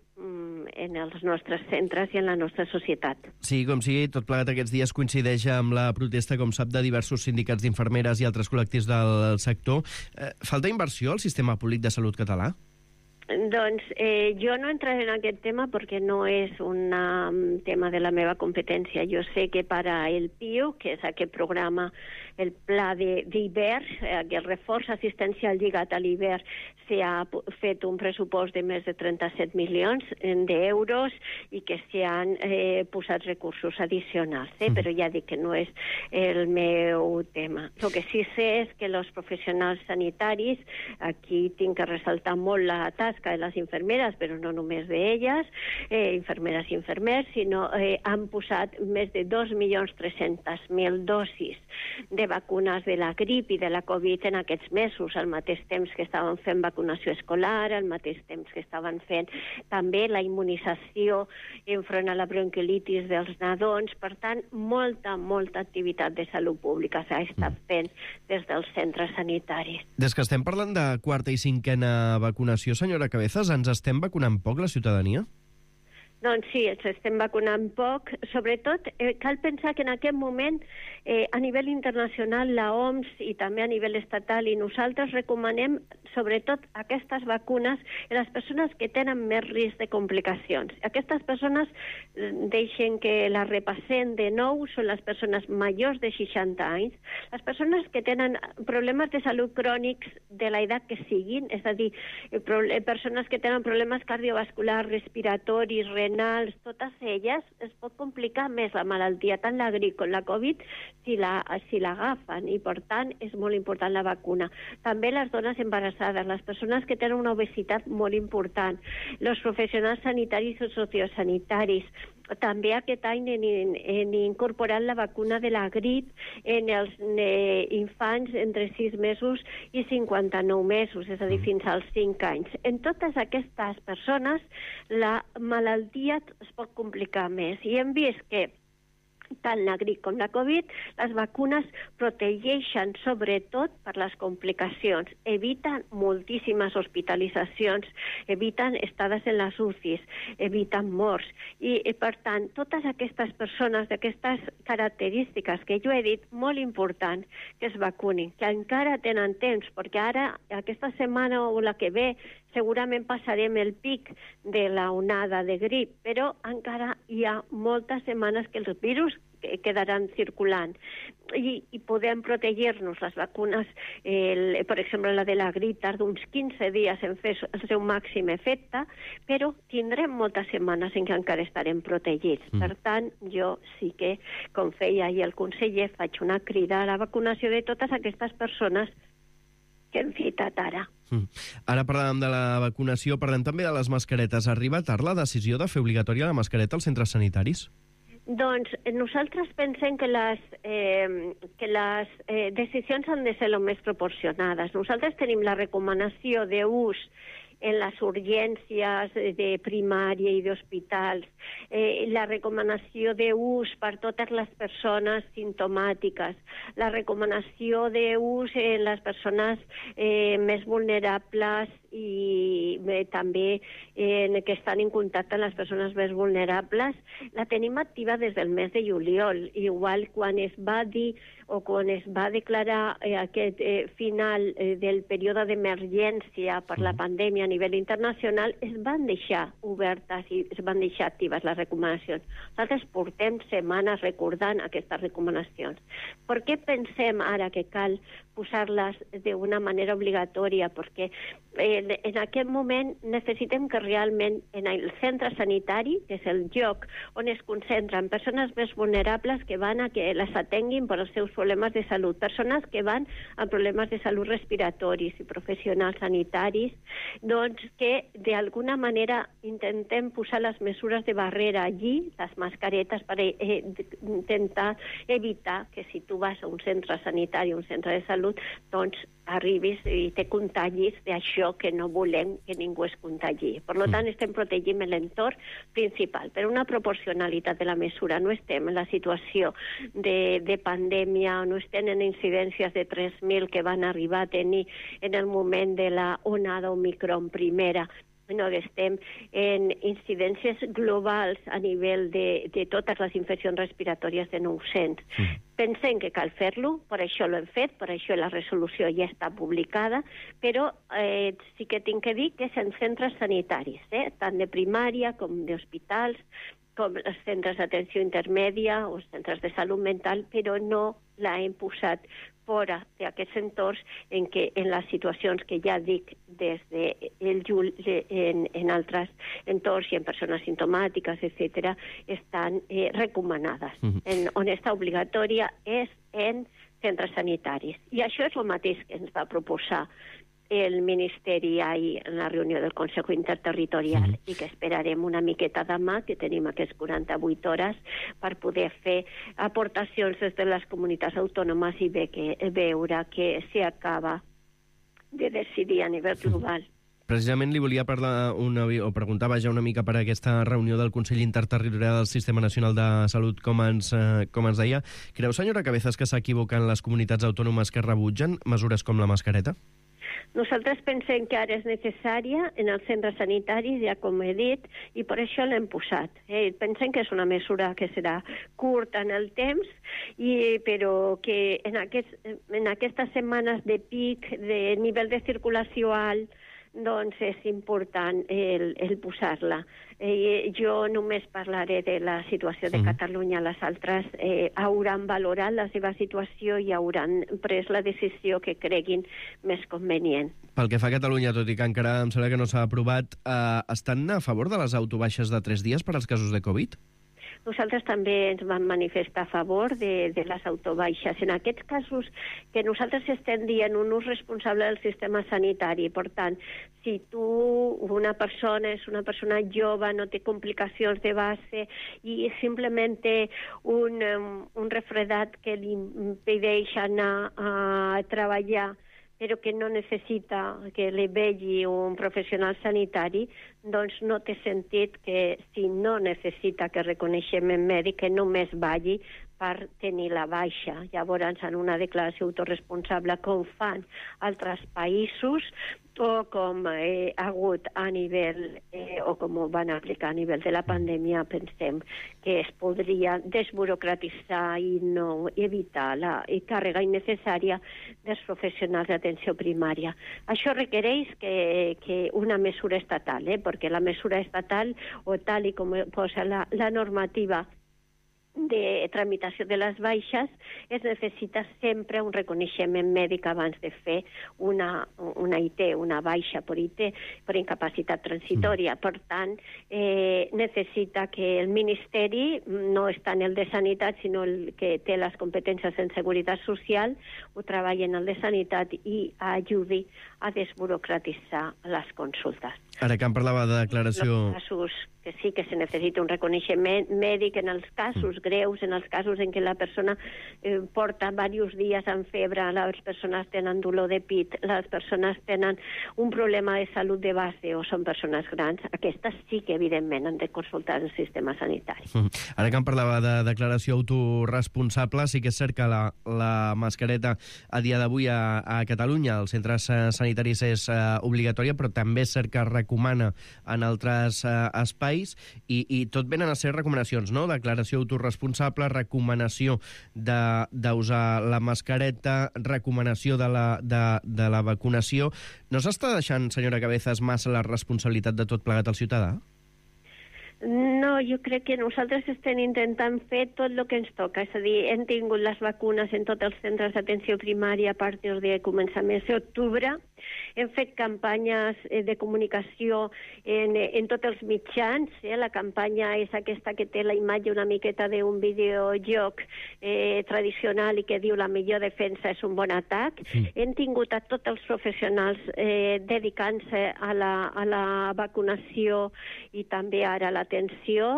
en els nostres centres i en la nostra societat. Sí, com sigui, tot plegat aquests dies coincideix amb la protesta, com sap, de diversos sindicats d'infermeres i altres col·lectius del sector. Falta inversió al sistema públic de salut català? Doncs jo no entraré en aquest tema perquè no és un tema de la meva competència. Jo sé que per al PIU, que és aquest programa, el pla d'hivern, aquest reforç assistencial lligat a l'hivern, s'ha fet un pressupost de més de 37 milions d'euros i que s'hi han posat recursos addicionals, però ja dic que no és el meu tema. El que sí sé és que els professionals sanitaris, aquí tinc que ressaltar molt la tasca de les infermeres, però no només d'elles, infermeres i infermers, sinó han posat més de 2.300.000 dosis de vacunes de la grip i de la Covid en aquests mesos, al mateix temps que estaven fent vacunació escolar, al mateix temps que estaven fent també la immunització enfront a la bronquiolitis dels nadons. Per tant, molta activitat de salut pública s'ha estat fent des dels centres sanitaris. Des que estem parlant de quarta i cinquena vacunació, senyora Cabezas, ens estem vacunant poc la ciutadania? Doncs sí, ens estem vacunant poc. Sobretot, cal pensar que en aquest moment, a nivell internacional, la OMS i també a nivell estatal, i nosaltres recomanem sobretot aquestes vacunes a les persones que tenen més risc de complicacions. Aquestes persones, deixen que la repassem de nou, són les persones majors de 60 anys, les persones que tenen problemes de salut crònics de l'edat que siguin, és a dir, persones que tenen problemes cardiovasculars, respiratoris, renals, totes elles es pot complicar més la malaltia, tant la grip com la Covid, si l'agafen, i per tant és molt important la vacuna. També les dones embarassades, les persones que tenen una obesitat molt important, els professionals sanitaris o sociosanitaris. També aquest any hem incorporat la vacuna de la grip en els infants entre 6 mesos i 59 mesos, és a dir, fins als 5 anys. En totes aquestes persones la malaltia es pot complicar més i hem vist que tant la grip com la Covid, les vacunes protegeixen sobretot per les complicacions, eviten moltíssimes hospitalitzacions, eviten estades en les UCIs, eviten morts. I per tant, totes aquestes persones d'aquestes característiques que jo he dit, molt important que es vacunin, que encara tenen temps, perquè ara, aquesta setmana o la que ve, segurament passarem el pic de la onada de grip, però encara hi ha moltes setmanes que els virus quedaran circulant i podem protegir-nos. Les vacunes, per exemple, la de la grip tarda uns 15 dies en fer el seu màxim efecte, però tindrem moltes setmanes en què encara estarem protegits. Per tant, jo sí que, com feia ahir el conseller, faig una crida a la vacunació de totes aquestes persones que hem citat ara. Ara parlàvem de la vacunació, parlem també de les mascaretes. Arriba tard la decisió de fer obligatòria la mascareta als centres sanitaris? Doncs nosaltres pensem que les decisions han de ser el més proporcionades. Nosaltres tenim la recomanació d'ús en les urgències de primària i d'hospitals, la recomanació d'ús per totes les persones simptomàtiques, la recomanació d'ús en les persones més vulnerables i també que estan en contacte amb les persones més vulnerables, la tenim activa des del mes de juliol. Igual quan es va dir o quan es va declarar aquest final del període d'emergència per la pandèmia a nivell internacional, es van deixar obertes i es van deixar actives les recomanacions. Nosaltres portem setmanes recordant aquestes recomanacions. Per què pensem ara que cal posar-les d'una manera obligatòria? Perquè en aquest moment necessitem que realment en el centre sanitari, que és el lloc on es concentren persones més vulnerables que van a que les atenguin per als seus problemes de salut, persones que van amb problemes de salut respiratoris i professionals sanitaris, doncs que d'alguna manera intentem posar les mesures de barrera allí, les mascaretes, per intentar evitar que si tu vas a un centre sanitari, un centre de salut, doncs arribis i te contagis d'això que no volem que ningú es contagi. Per tant, estem protegint l'entorn principal, per una proporcionalitat de la mesura. No estem en la situació de pandèmia, no estem en incidències de 3.000 que van arribar a tenir en el moment de la onada Omicron primera. No, estem en incidències globals a nivell de totes les infeccions respiratòries de 900. Pensem que cal fer-lo, per això l'hem fet, per això la resolució ja està publicada, però sí que tinc que dir que és en centres sanitaris, tant de primària com d'hospitals, com els centres d'atenció intermèdia o els centres de salut mental, però no la hem posat fora d'aquests entorns en les situacions que ja dic des del juny en altres entorns i en persones simptomàtiques, etc., estan recomanades. On està obligatòria és en centres sanitaris. I això és el mateix que ens va proposar el Ministeri ahir en la reunió del Consejo Interterritorial i que esperarem una miqueta demà, que tenim aquestes 48 hores per poder fer aportacions des de les comunitats autònomes i veure que s'acaba de decidir a nivell global. Precisament li volia parlar o preguntar una mica per aquesta reunió del Consell Interterritorial del Sistema Nacional de Salut, com ens deia. Creu, senyora Cabezas, que s'equivoquen les comunitats autònomes que rebutgen mesures com la mascareta? Nosaltres pensem que ara és necessària en els centres sanitaris, ja com he dit, i per això l'hem posat. Pensem que és una mesura que serà curta en el temps, però que en aquestes setmanes de pic, de nivell de circulació alt, doncs és important el posar-la. Jo només parlaré de la situació de Catalunya. Les altres hauran valorat la seva situació i hauran pres la decisió que creguin més convenient. Pel que fa a Catalunya, tot i que encara em sembla que no s'ha aprovat, estan a favor de les autobaixes de 3 dies per als casos de Covid? Nosaltres també ens vam manifestar a favor de les autobaixes. En aquests casos que nosaltres estem dient un ús responsable del sistema sanitari, per tant, si una persona és una persona jove, no té complicacions de base i simplement té un refredat que li impedeix anar a treballar, però que no necessita que li vegi un professional sanitari, doncs no té sentit que, si no necessita que reconeixem en mèdic, que només vagi per tenir la baixa. Llavors, en una declaració autoresponsable, com fan altres països, o com ha hagut a nivell, o com ho van aplicar a nivell de la pandèmia, pensem que es podria desburocratitzar i no evitar la càrrega innecessària dels professionals d'atenció primària. Això requereix que una mesura estatal, perquè la mesura estatal, o tal i com posa la normativa de tramitació de les baixes, es necessita sempre un reconeixement mèdic abans de fer una IT, una baixa per IT, per incapacitat transitòria. Per tant, necessita que el Ministeri, no està en el de Sanitat, sinó el que té les competències en Seguretat Social, ho treballi en el de Sanitat i ajudi a desburocratitzar les consultes. Ara que em parlava de declaració... Els casos que sí que se necessita un reconeixement mèdic en els casos greus, en els casos en què la persona porta diversos dies amb febre, les persones tenen dolor de pit, les persones tenen un problema de salut de base o són persones grans, aquestes sí que evidentment han de consultar el sistema sanitari. Ara que em parlava de declaració autoresponsable, sí que és cert que la mascareta a dia d'avui a Catalunya, als centres sanitaris és obligatòria, però també és cert que recomana en altres espais, i tot venen a ser recomanacions, no? Declaració autoresponsable, recomanació d'usar la mascareta, recomanació de la vacunació. No s'està deixant, senyora Cabezas, massa la responsabilitat de tot plegat al ciutadà? No, jo crec que nosaltres estem intentant fer tot el que ens toca. És a dir, hem tingut les vacunes en tots els centres d'atenció primària a partir de començaments d'octubre. Hem fet campanyes de comunicació en tots els mitjans. La campanya és aquesta que té la imatge una miqueta d'un videojoc tradicional i que diu la millor defensa és un bon atac. Hem tingut a tots els professionals dedicant-se a la vacunació i també ara a l'atenció.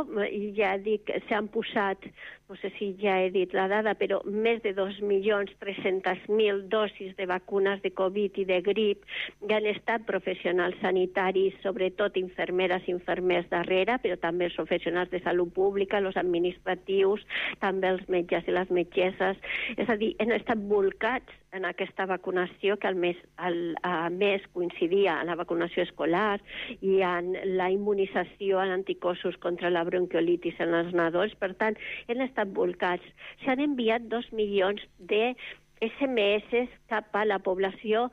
Ja dic, s'han posat, no sé si ja he dit la dada, però més de 2.300.000 dosis de vacunes de Covid i de grip. Ja han estat professionals sanitaris, sobretot infermeres i infermers darrere, però també els professionals de salut pública, els administratius, també els metges i les metgesses. És a dir, han estat volcats en aquesta vacunació que a més coincidia amb la vacunació escolar i en la immunització en anticossos contra la bronquiolitis en els nadons. Per tant, han estat volcats. S'han enviat 2 milions de SMS cap a la població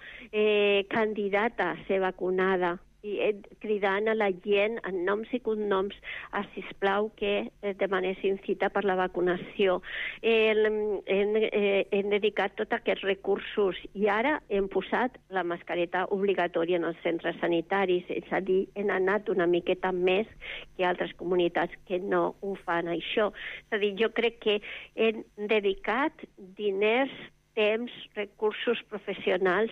candidata a ser vacunada, i cridant a la gent en noms i cognoms a, sisplau, que demanessin cita per la vacunació. Hem dedicat tots aquests recursos i ara hem posat la mascareta obligatòria en els centres sanitaris, és a dir, hem anat una miqueta més que altres comunitats que no ho fan això. És a dir, jo crec que hem dedicat diners, temps, recursos professionals,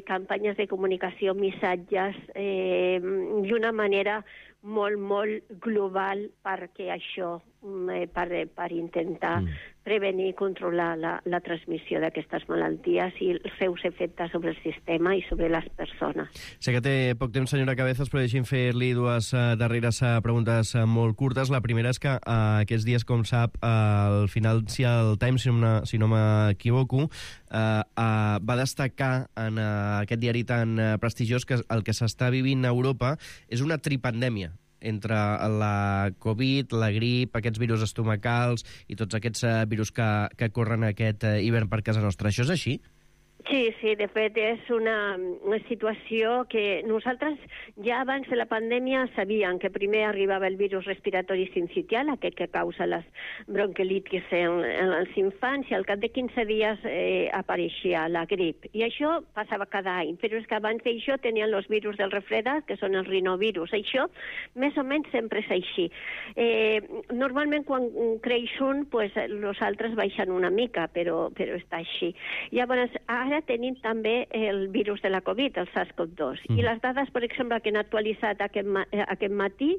campanyes de comunicació, missatges, d'una manera molt, molt global perquè això, per intentar prevenir i controlar la transmissió d'aquestes malalties i els seus efectes sobre el sistema i sobre les persones. Sé que té poc temps, senyora Cabezas, però deixi'm fer-li dues darreres preguntes molt curtes. La primera és que aquests dies, com sap, el Financial Times, si no m'equivoco, va destacar en aquest diari tan prestigiós que el que s'està vivint a Europa és una tripandèmia entre la Covid, la grip, aquests virus estomacals i tots aquests virus que corren aquest hivern per casa nostra. Això és així? Sí, de fet, és una situació que nosaltres ja abans de la pandèmia sabíem que primer arribava el virus respiratori sincitial, aquest que causa les bronquiolitis en els infants, i al cap de 15 dies apareixia la grip. I això passava cada any, però és que abans d'això tenien els virus del refredat, que són els rinovirus. Això, més o menys, sempre és així. Normalment, quan creix un, els altres baixen una mica, però està així. Llavors, ara tenim també el virus de la Covid, el SARS-CoV-2. I les dades, per exemple, que han actualitzat aquest matí,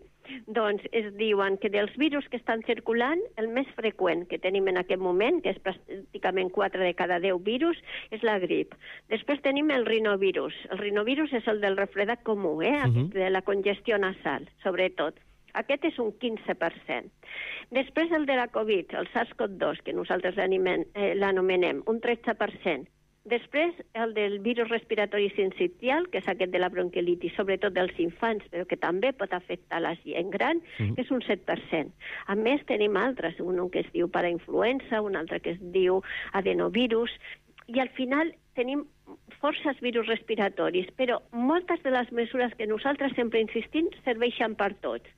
doncs es diuen que dels virus que estan circulant, el més freqüent que tenim en aquest moment, que és pràcticament 4 de cada 10 virus, és la grip. Després tenim el rinovirus. El rinovirus és el del refredat comú, de la congestió nasal, sobretot. Aquest és un 15%. Després el de la Covid, el SARS-CoV-2, que nosaltres l'anomenem, un 13%. Després, el del virus respiratori sincitial, que és aquest de la bronquiolitis, sobretot dels infants, però que també pot afectar la gent gran, que és un 7%. A més, tenim altres, un que es diu parainfluenza, un altre que es diu adenovirus, i al final tenim forces virus respiratoris, però moltes de les mesures que nosaltres sempre insistim serveixen per tots.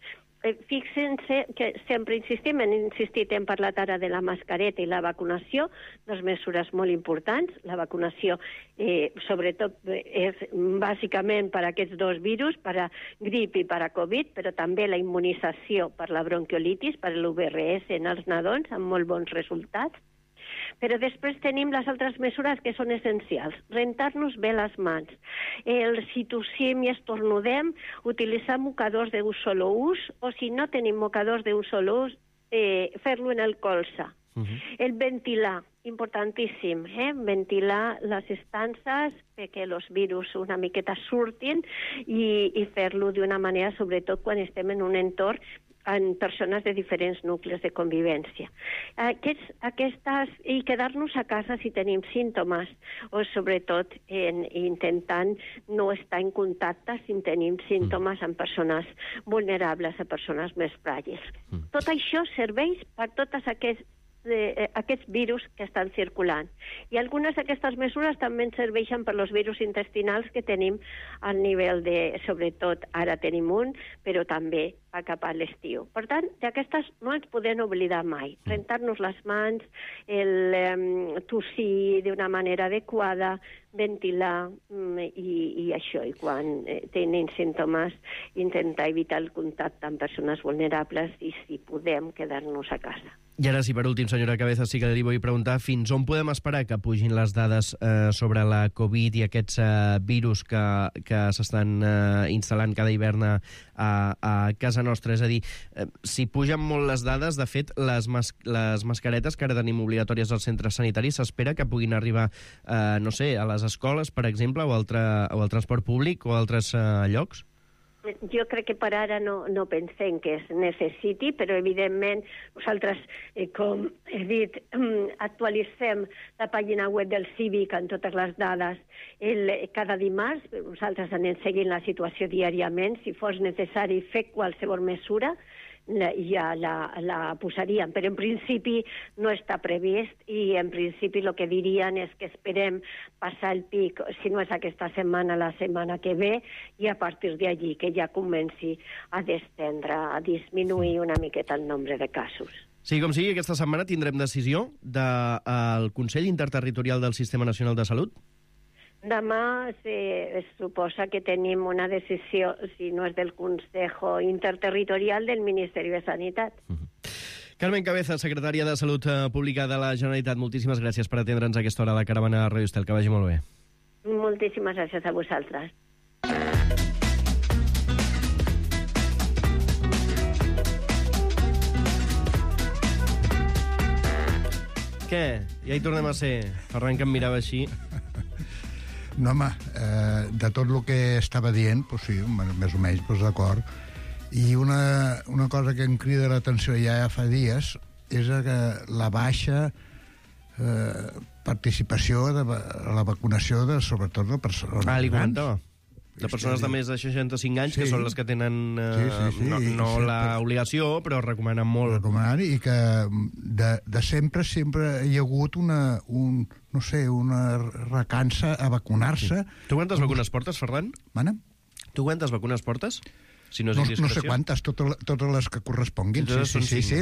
Fixen-se que sempre insistim, hem insistit, hem parlat ara de la mascareta i la vacunació, dues mesures molt importants. La vacunació, sobretot, és bàsicament per a aquests dos virus, per a grip i per a Covid, però també la immunització per la bronquiolitis, per l'UVRS en els nadons, amb molt bons resultats. Però després tenim les altres mesures que són essencials. Rentar-nos bé les mans. Si tossim i estornudem, utilitzar mocadors d'un sol ús, o si no tenim mocadors d'un sol ús, fer-lo en el colze. El ventilar, importantíssim, ventilar les estances perquè els virus una miqueta surtin i fer-lo d'una manera, sobretot quan estem en un entorn en persones de diferents nuclis de convivència. I quedar-nos a casa si tenim símptomes, o sobretot intentant no estar en contacte si tenim símptomes amb persones vulnerables, a persones més fràgils. Tot això serveix per tots aquests virus que estan circulant. I algunes d'aquestes mesures també serveixen per als virus intestinals que tenim al nivell de, sobretot, ara tenim un, però també cap a l'estiu. Per tant, d'aquestes no ens podem oblidar mai. Rentar-nos les mans, tossir d'una manera adequada, ventilar i això. I quan tenim símptomes, intentar evitar el contacte amb persones vulnerables i, si podem, quedar-nos a casa. I ara sí, per últim, senyora Cabezas, sí que li vull preguntar fins on podem esperar que pugin les dades sobre la Covid i aquests virus que s'estan instal·lant cada hivern a casa nostra. És a dir, si pugen molt les dades, de fet, les mascaretes que ara tenim obligatòries als centres sanitaris s'espera que puguin arribar, no sé, a les escoles, per exemple, o al transport públic o a altres llocs? Jo crec que per ara no pensem que es necessiti, però evidentment nosaltres, com he dit, actualitzem la pàgina web del Cívic amb totes les dades cada dimarts. Nosaltres anem seguint la situació diàriament. Si fos necessari fer qualsevol mesura, ja la posaríem, però en principi no està previst i en principi el que dirien és que esperem passar el pic, si no és aquesta setmana, la setmana que ve, i a partir d'allí que ja comenci a descendre, a disminuir una miqueta el nombre de casos. Sí, com sigui, aquesta setmana tindrem decisió del Consell Interterritorial del Sistema Nacional de Salut? Demà es suposa que tenim una decisió, si no és del Consejo Interterritorial, del Ministeri de Sanitat. Carmen Cabezas, secretària de Salut Pública de la Generalitat, moltíssimes gràcies per atendre'ns a aquesta hora a la caravana de Ràdio Estel. Que vagi molt bé. Moltíssimes gràcies a vosaltres. Què? Ja hi tornem a ser. Ferran, que em mirava així. No, home, de tot el que estava dient, pues sí, més o menys, pues d'acord. I una cosa que em crida l'atenció ja fa dies és que la baixa participació a la vacunació, sobretot de persones grans. Li comentava. De persones de més de 65 anys, que són les que tenen no l'obligació, però recomanen molt. I que de sempre hi ha hagut una recança a vacunar-se. Tu quantes vacunes portes, Ferran? Mana? Tu quantes vacunes portes? Si no sé quantes, totes les que corresponguin. Sí.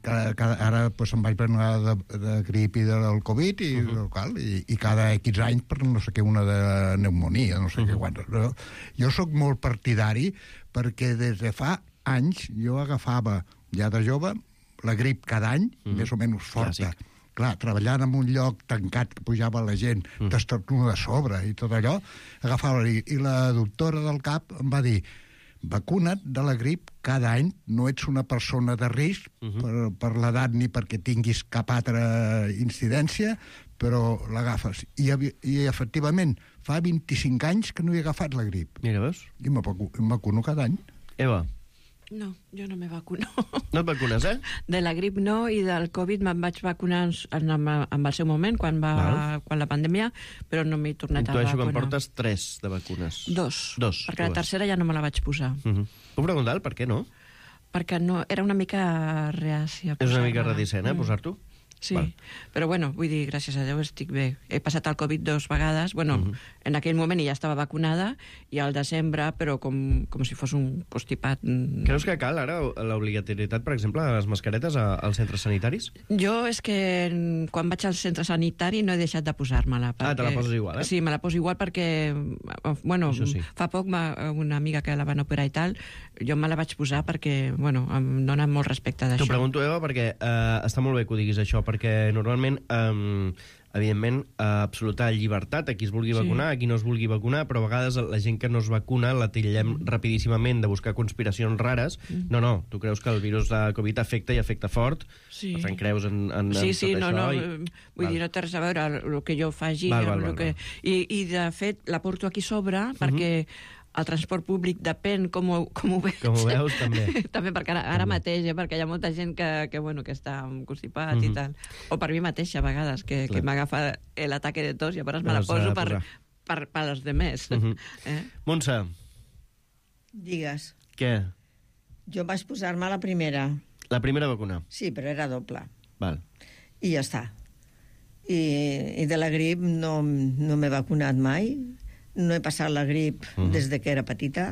Ara em vaig prendre de grip i del Covid i cada X anys per no sé què, una de pneumonia, no sé què quantes. Jo sóc molt partidari perquè des de fa anys jo agafava, ja de jove, la grip cada any, més o menys forta. Clar, treballant en un lloc tancat que pujava la gent, t'estornuda a sobre i tot allò, agafava i la doctora del CAP em va dir: vacuna't de la grip cada any, no ets una persona de risc per l'edat ni perquè tinguis cap altra incidència, però l'agafes. I efectivament, fa 25 anys que no he agafat la grip. Mira, veus? I em vacuno cada any. Eva? No, jo no me vacuno. No et vacunes, eh? De la grip no, i del Covid me'n vaig vacunar en el seu moment, quan la pandèmia, però no m'he tornat a vacunar. Intueixo que em portes 3 de vacunes. 2, perquè la tercera ja no me la vaig posar. Puc preguntar per què no? Perquè no, era una mica reàcia. És una mica reticent, posar-t'ho? Sí, però bueno, vull dir, gràcies a Déu estic bé. He passat el Covid 2 vegades, bueno, en aquell moment ja estava vacunada, i al desembre, però com si fos un postipat. Creus que cal ara l'obligatorietat, per exemple, de les mascaretes als centres sanitaris? Jo és que quan vaig al centre sanitari no he deixat de posar-me-la. Te la poses igual, eh? Sí, me la poso igual perquè, bueno, fa poc una amiga que la van operar i tal, jo me la vaig posar perquè, bueno, em dona molt respecte d'això. T'ho pregunto, Eva, perquè està molt bé que ho diguis això, perquè normalment, evidentment, absoluta llibertat a qui es vulgui vacunar, a qui no es vulgui vacunar, però a vegades la gent que no es vacuna la titllem rapidíssimament de buscar conspiracions rares. No, tu creus que el virus de Covid afecta i afecta fort, per tant creus en tot això. No, vull dir, no té res a veure el que jo faci, i de fet la porto aquí sobre perquè el transport públic depèn com ho veig. Com ho veus, també. També, perquè ara mateix, perquè hi ha molta gent que està constipat i tal. O per mi mateixa, a vegades, que m'agafa l'ataque de tos i llavors me la poso per als demés. Montse. Digues. Què? Jo vaig posar-me la primera. La primera vacuna? Sí, però era doble. Val. I ja està. I de la grip no m'he vacunat mai. No he passat la grip des de que era petita.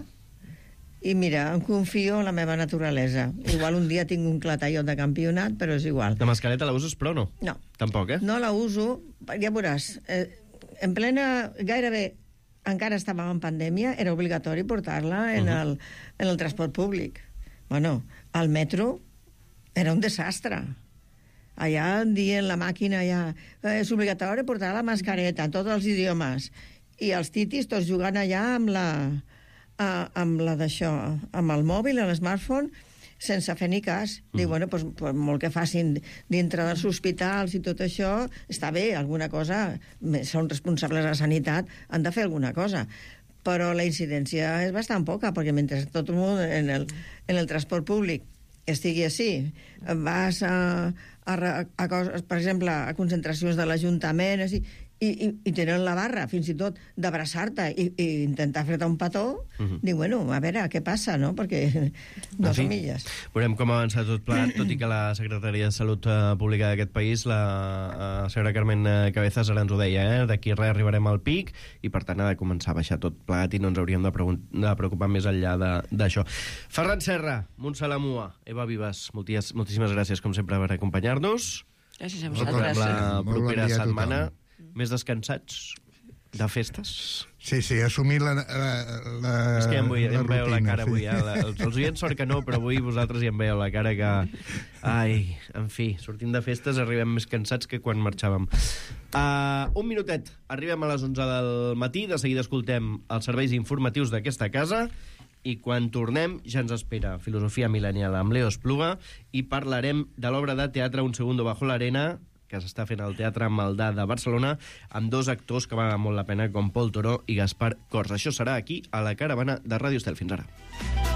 I mira, em confio en la meva naturalesa. Igual un dia tinc un clatallot de campionat, però és igual. La mascareta la uses, però no? No. Tampoc, No la uso, ja veuràs. En plena, gairebé, encara estàvem en pandèmia, era obligatori portar-la en el transport públic. Bueno, al metro era un desastre. Allà dient la màquina, és obligatori portar la mascareta en tots els idiomes. I els titis tots jugant allà amb la d'això, amb el mòbil, l'smartphone, sense fer ni cas. Diu, bueno, doncs molt que facin dintre dels hospitals i tot això, està bé, alguna cosa, són responsables de la sanitat, han de fer alguna cosa. Però la incidència és bastant poca, perquè mentre tot el món en el transport públic estigui així, vas per exemple, a concentracions de l'Ajuntament, i tenen la barra, fins i tot, d'abraçar-te i intentar fer-te un petó, dic, bueno, a veure, què passa, no? Perquè no som illes. Veurem com avança tot plegat, tot i que la Secretaria de Salut Pública d'aquest país, la senyora Carmen Cabezas, ara ens ho deia, d'aquí res arribarem al pic, i per tant ha de començar a baixar tot plegat i no ens hauríem de preocupar més enllà d'això. Ferran Serra, Montse Lamua, Eva Vives, moltíssimes gràcies, com sempre, per acompanyar-nos. Gràcies a vosaltres. La propera setmana més descansats de festes. Sí, assumir la és que ja em veieu la cara avui. Els oients sort que no, però avui vosaltres ja em veieu la cara que... Ai, en fi, sortim de festes, arribem més cansats que quan marxàvem. Un minutet, arribem a les 11 del matí, de seguida escoltem els serveis informatius d'aquesta casa, i quan tornem ja ens espera Filosofia Millennial amb Leo Espluga i parlarem de l'obra de teatre Un segundo bajo la arena, que s'està fent al Teatre Maldà de Barcelona, amb 2 actors que valen molt la pena, com Pol Toro i Gaspar Cors. Això serà aquí, a la Caravana de Ràdio Estel. Fins ara.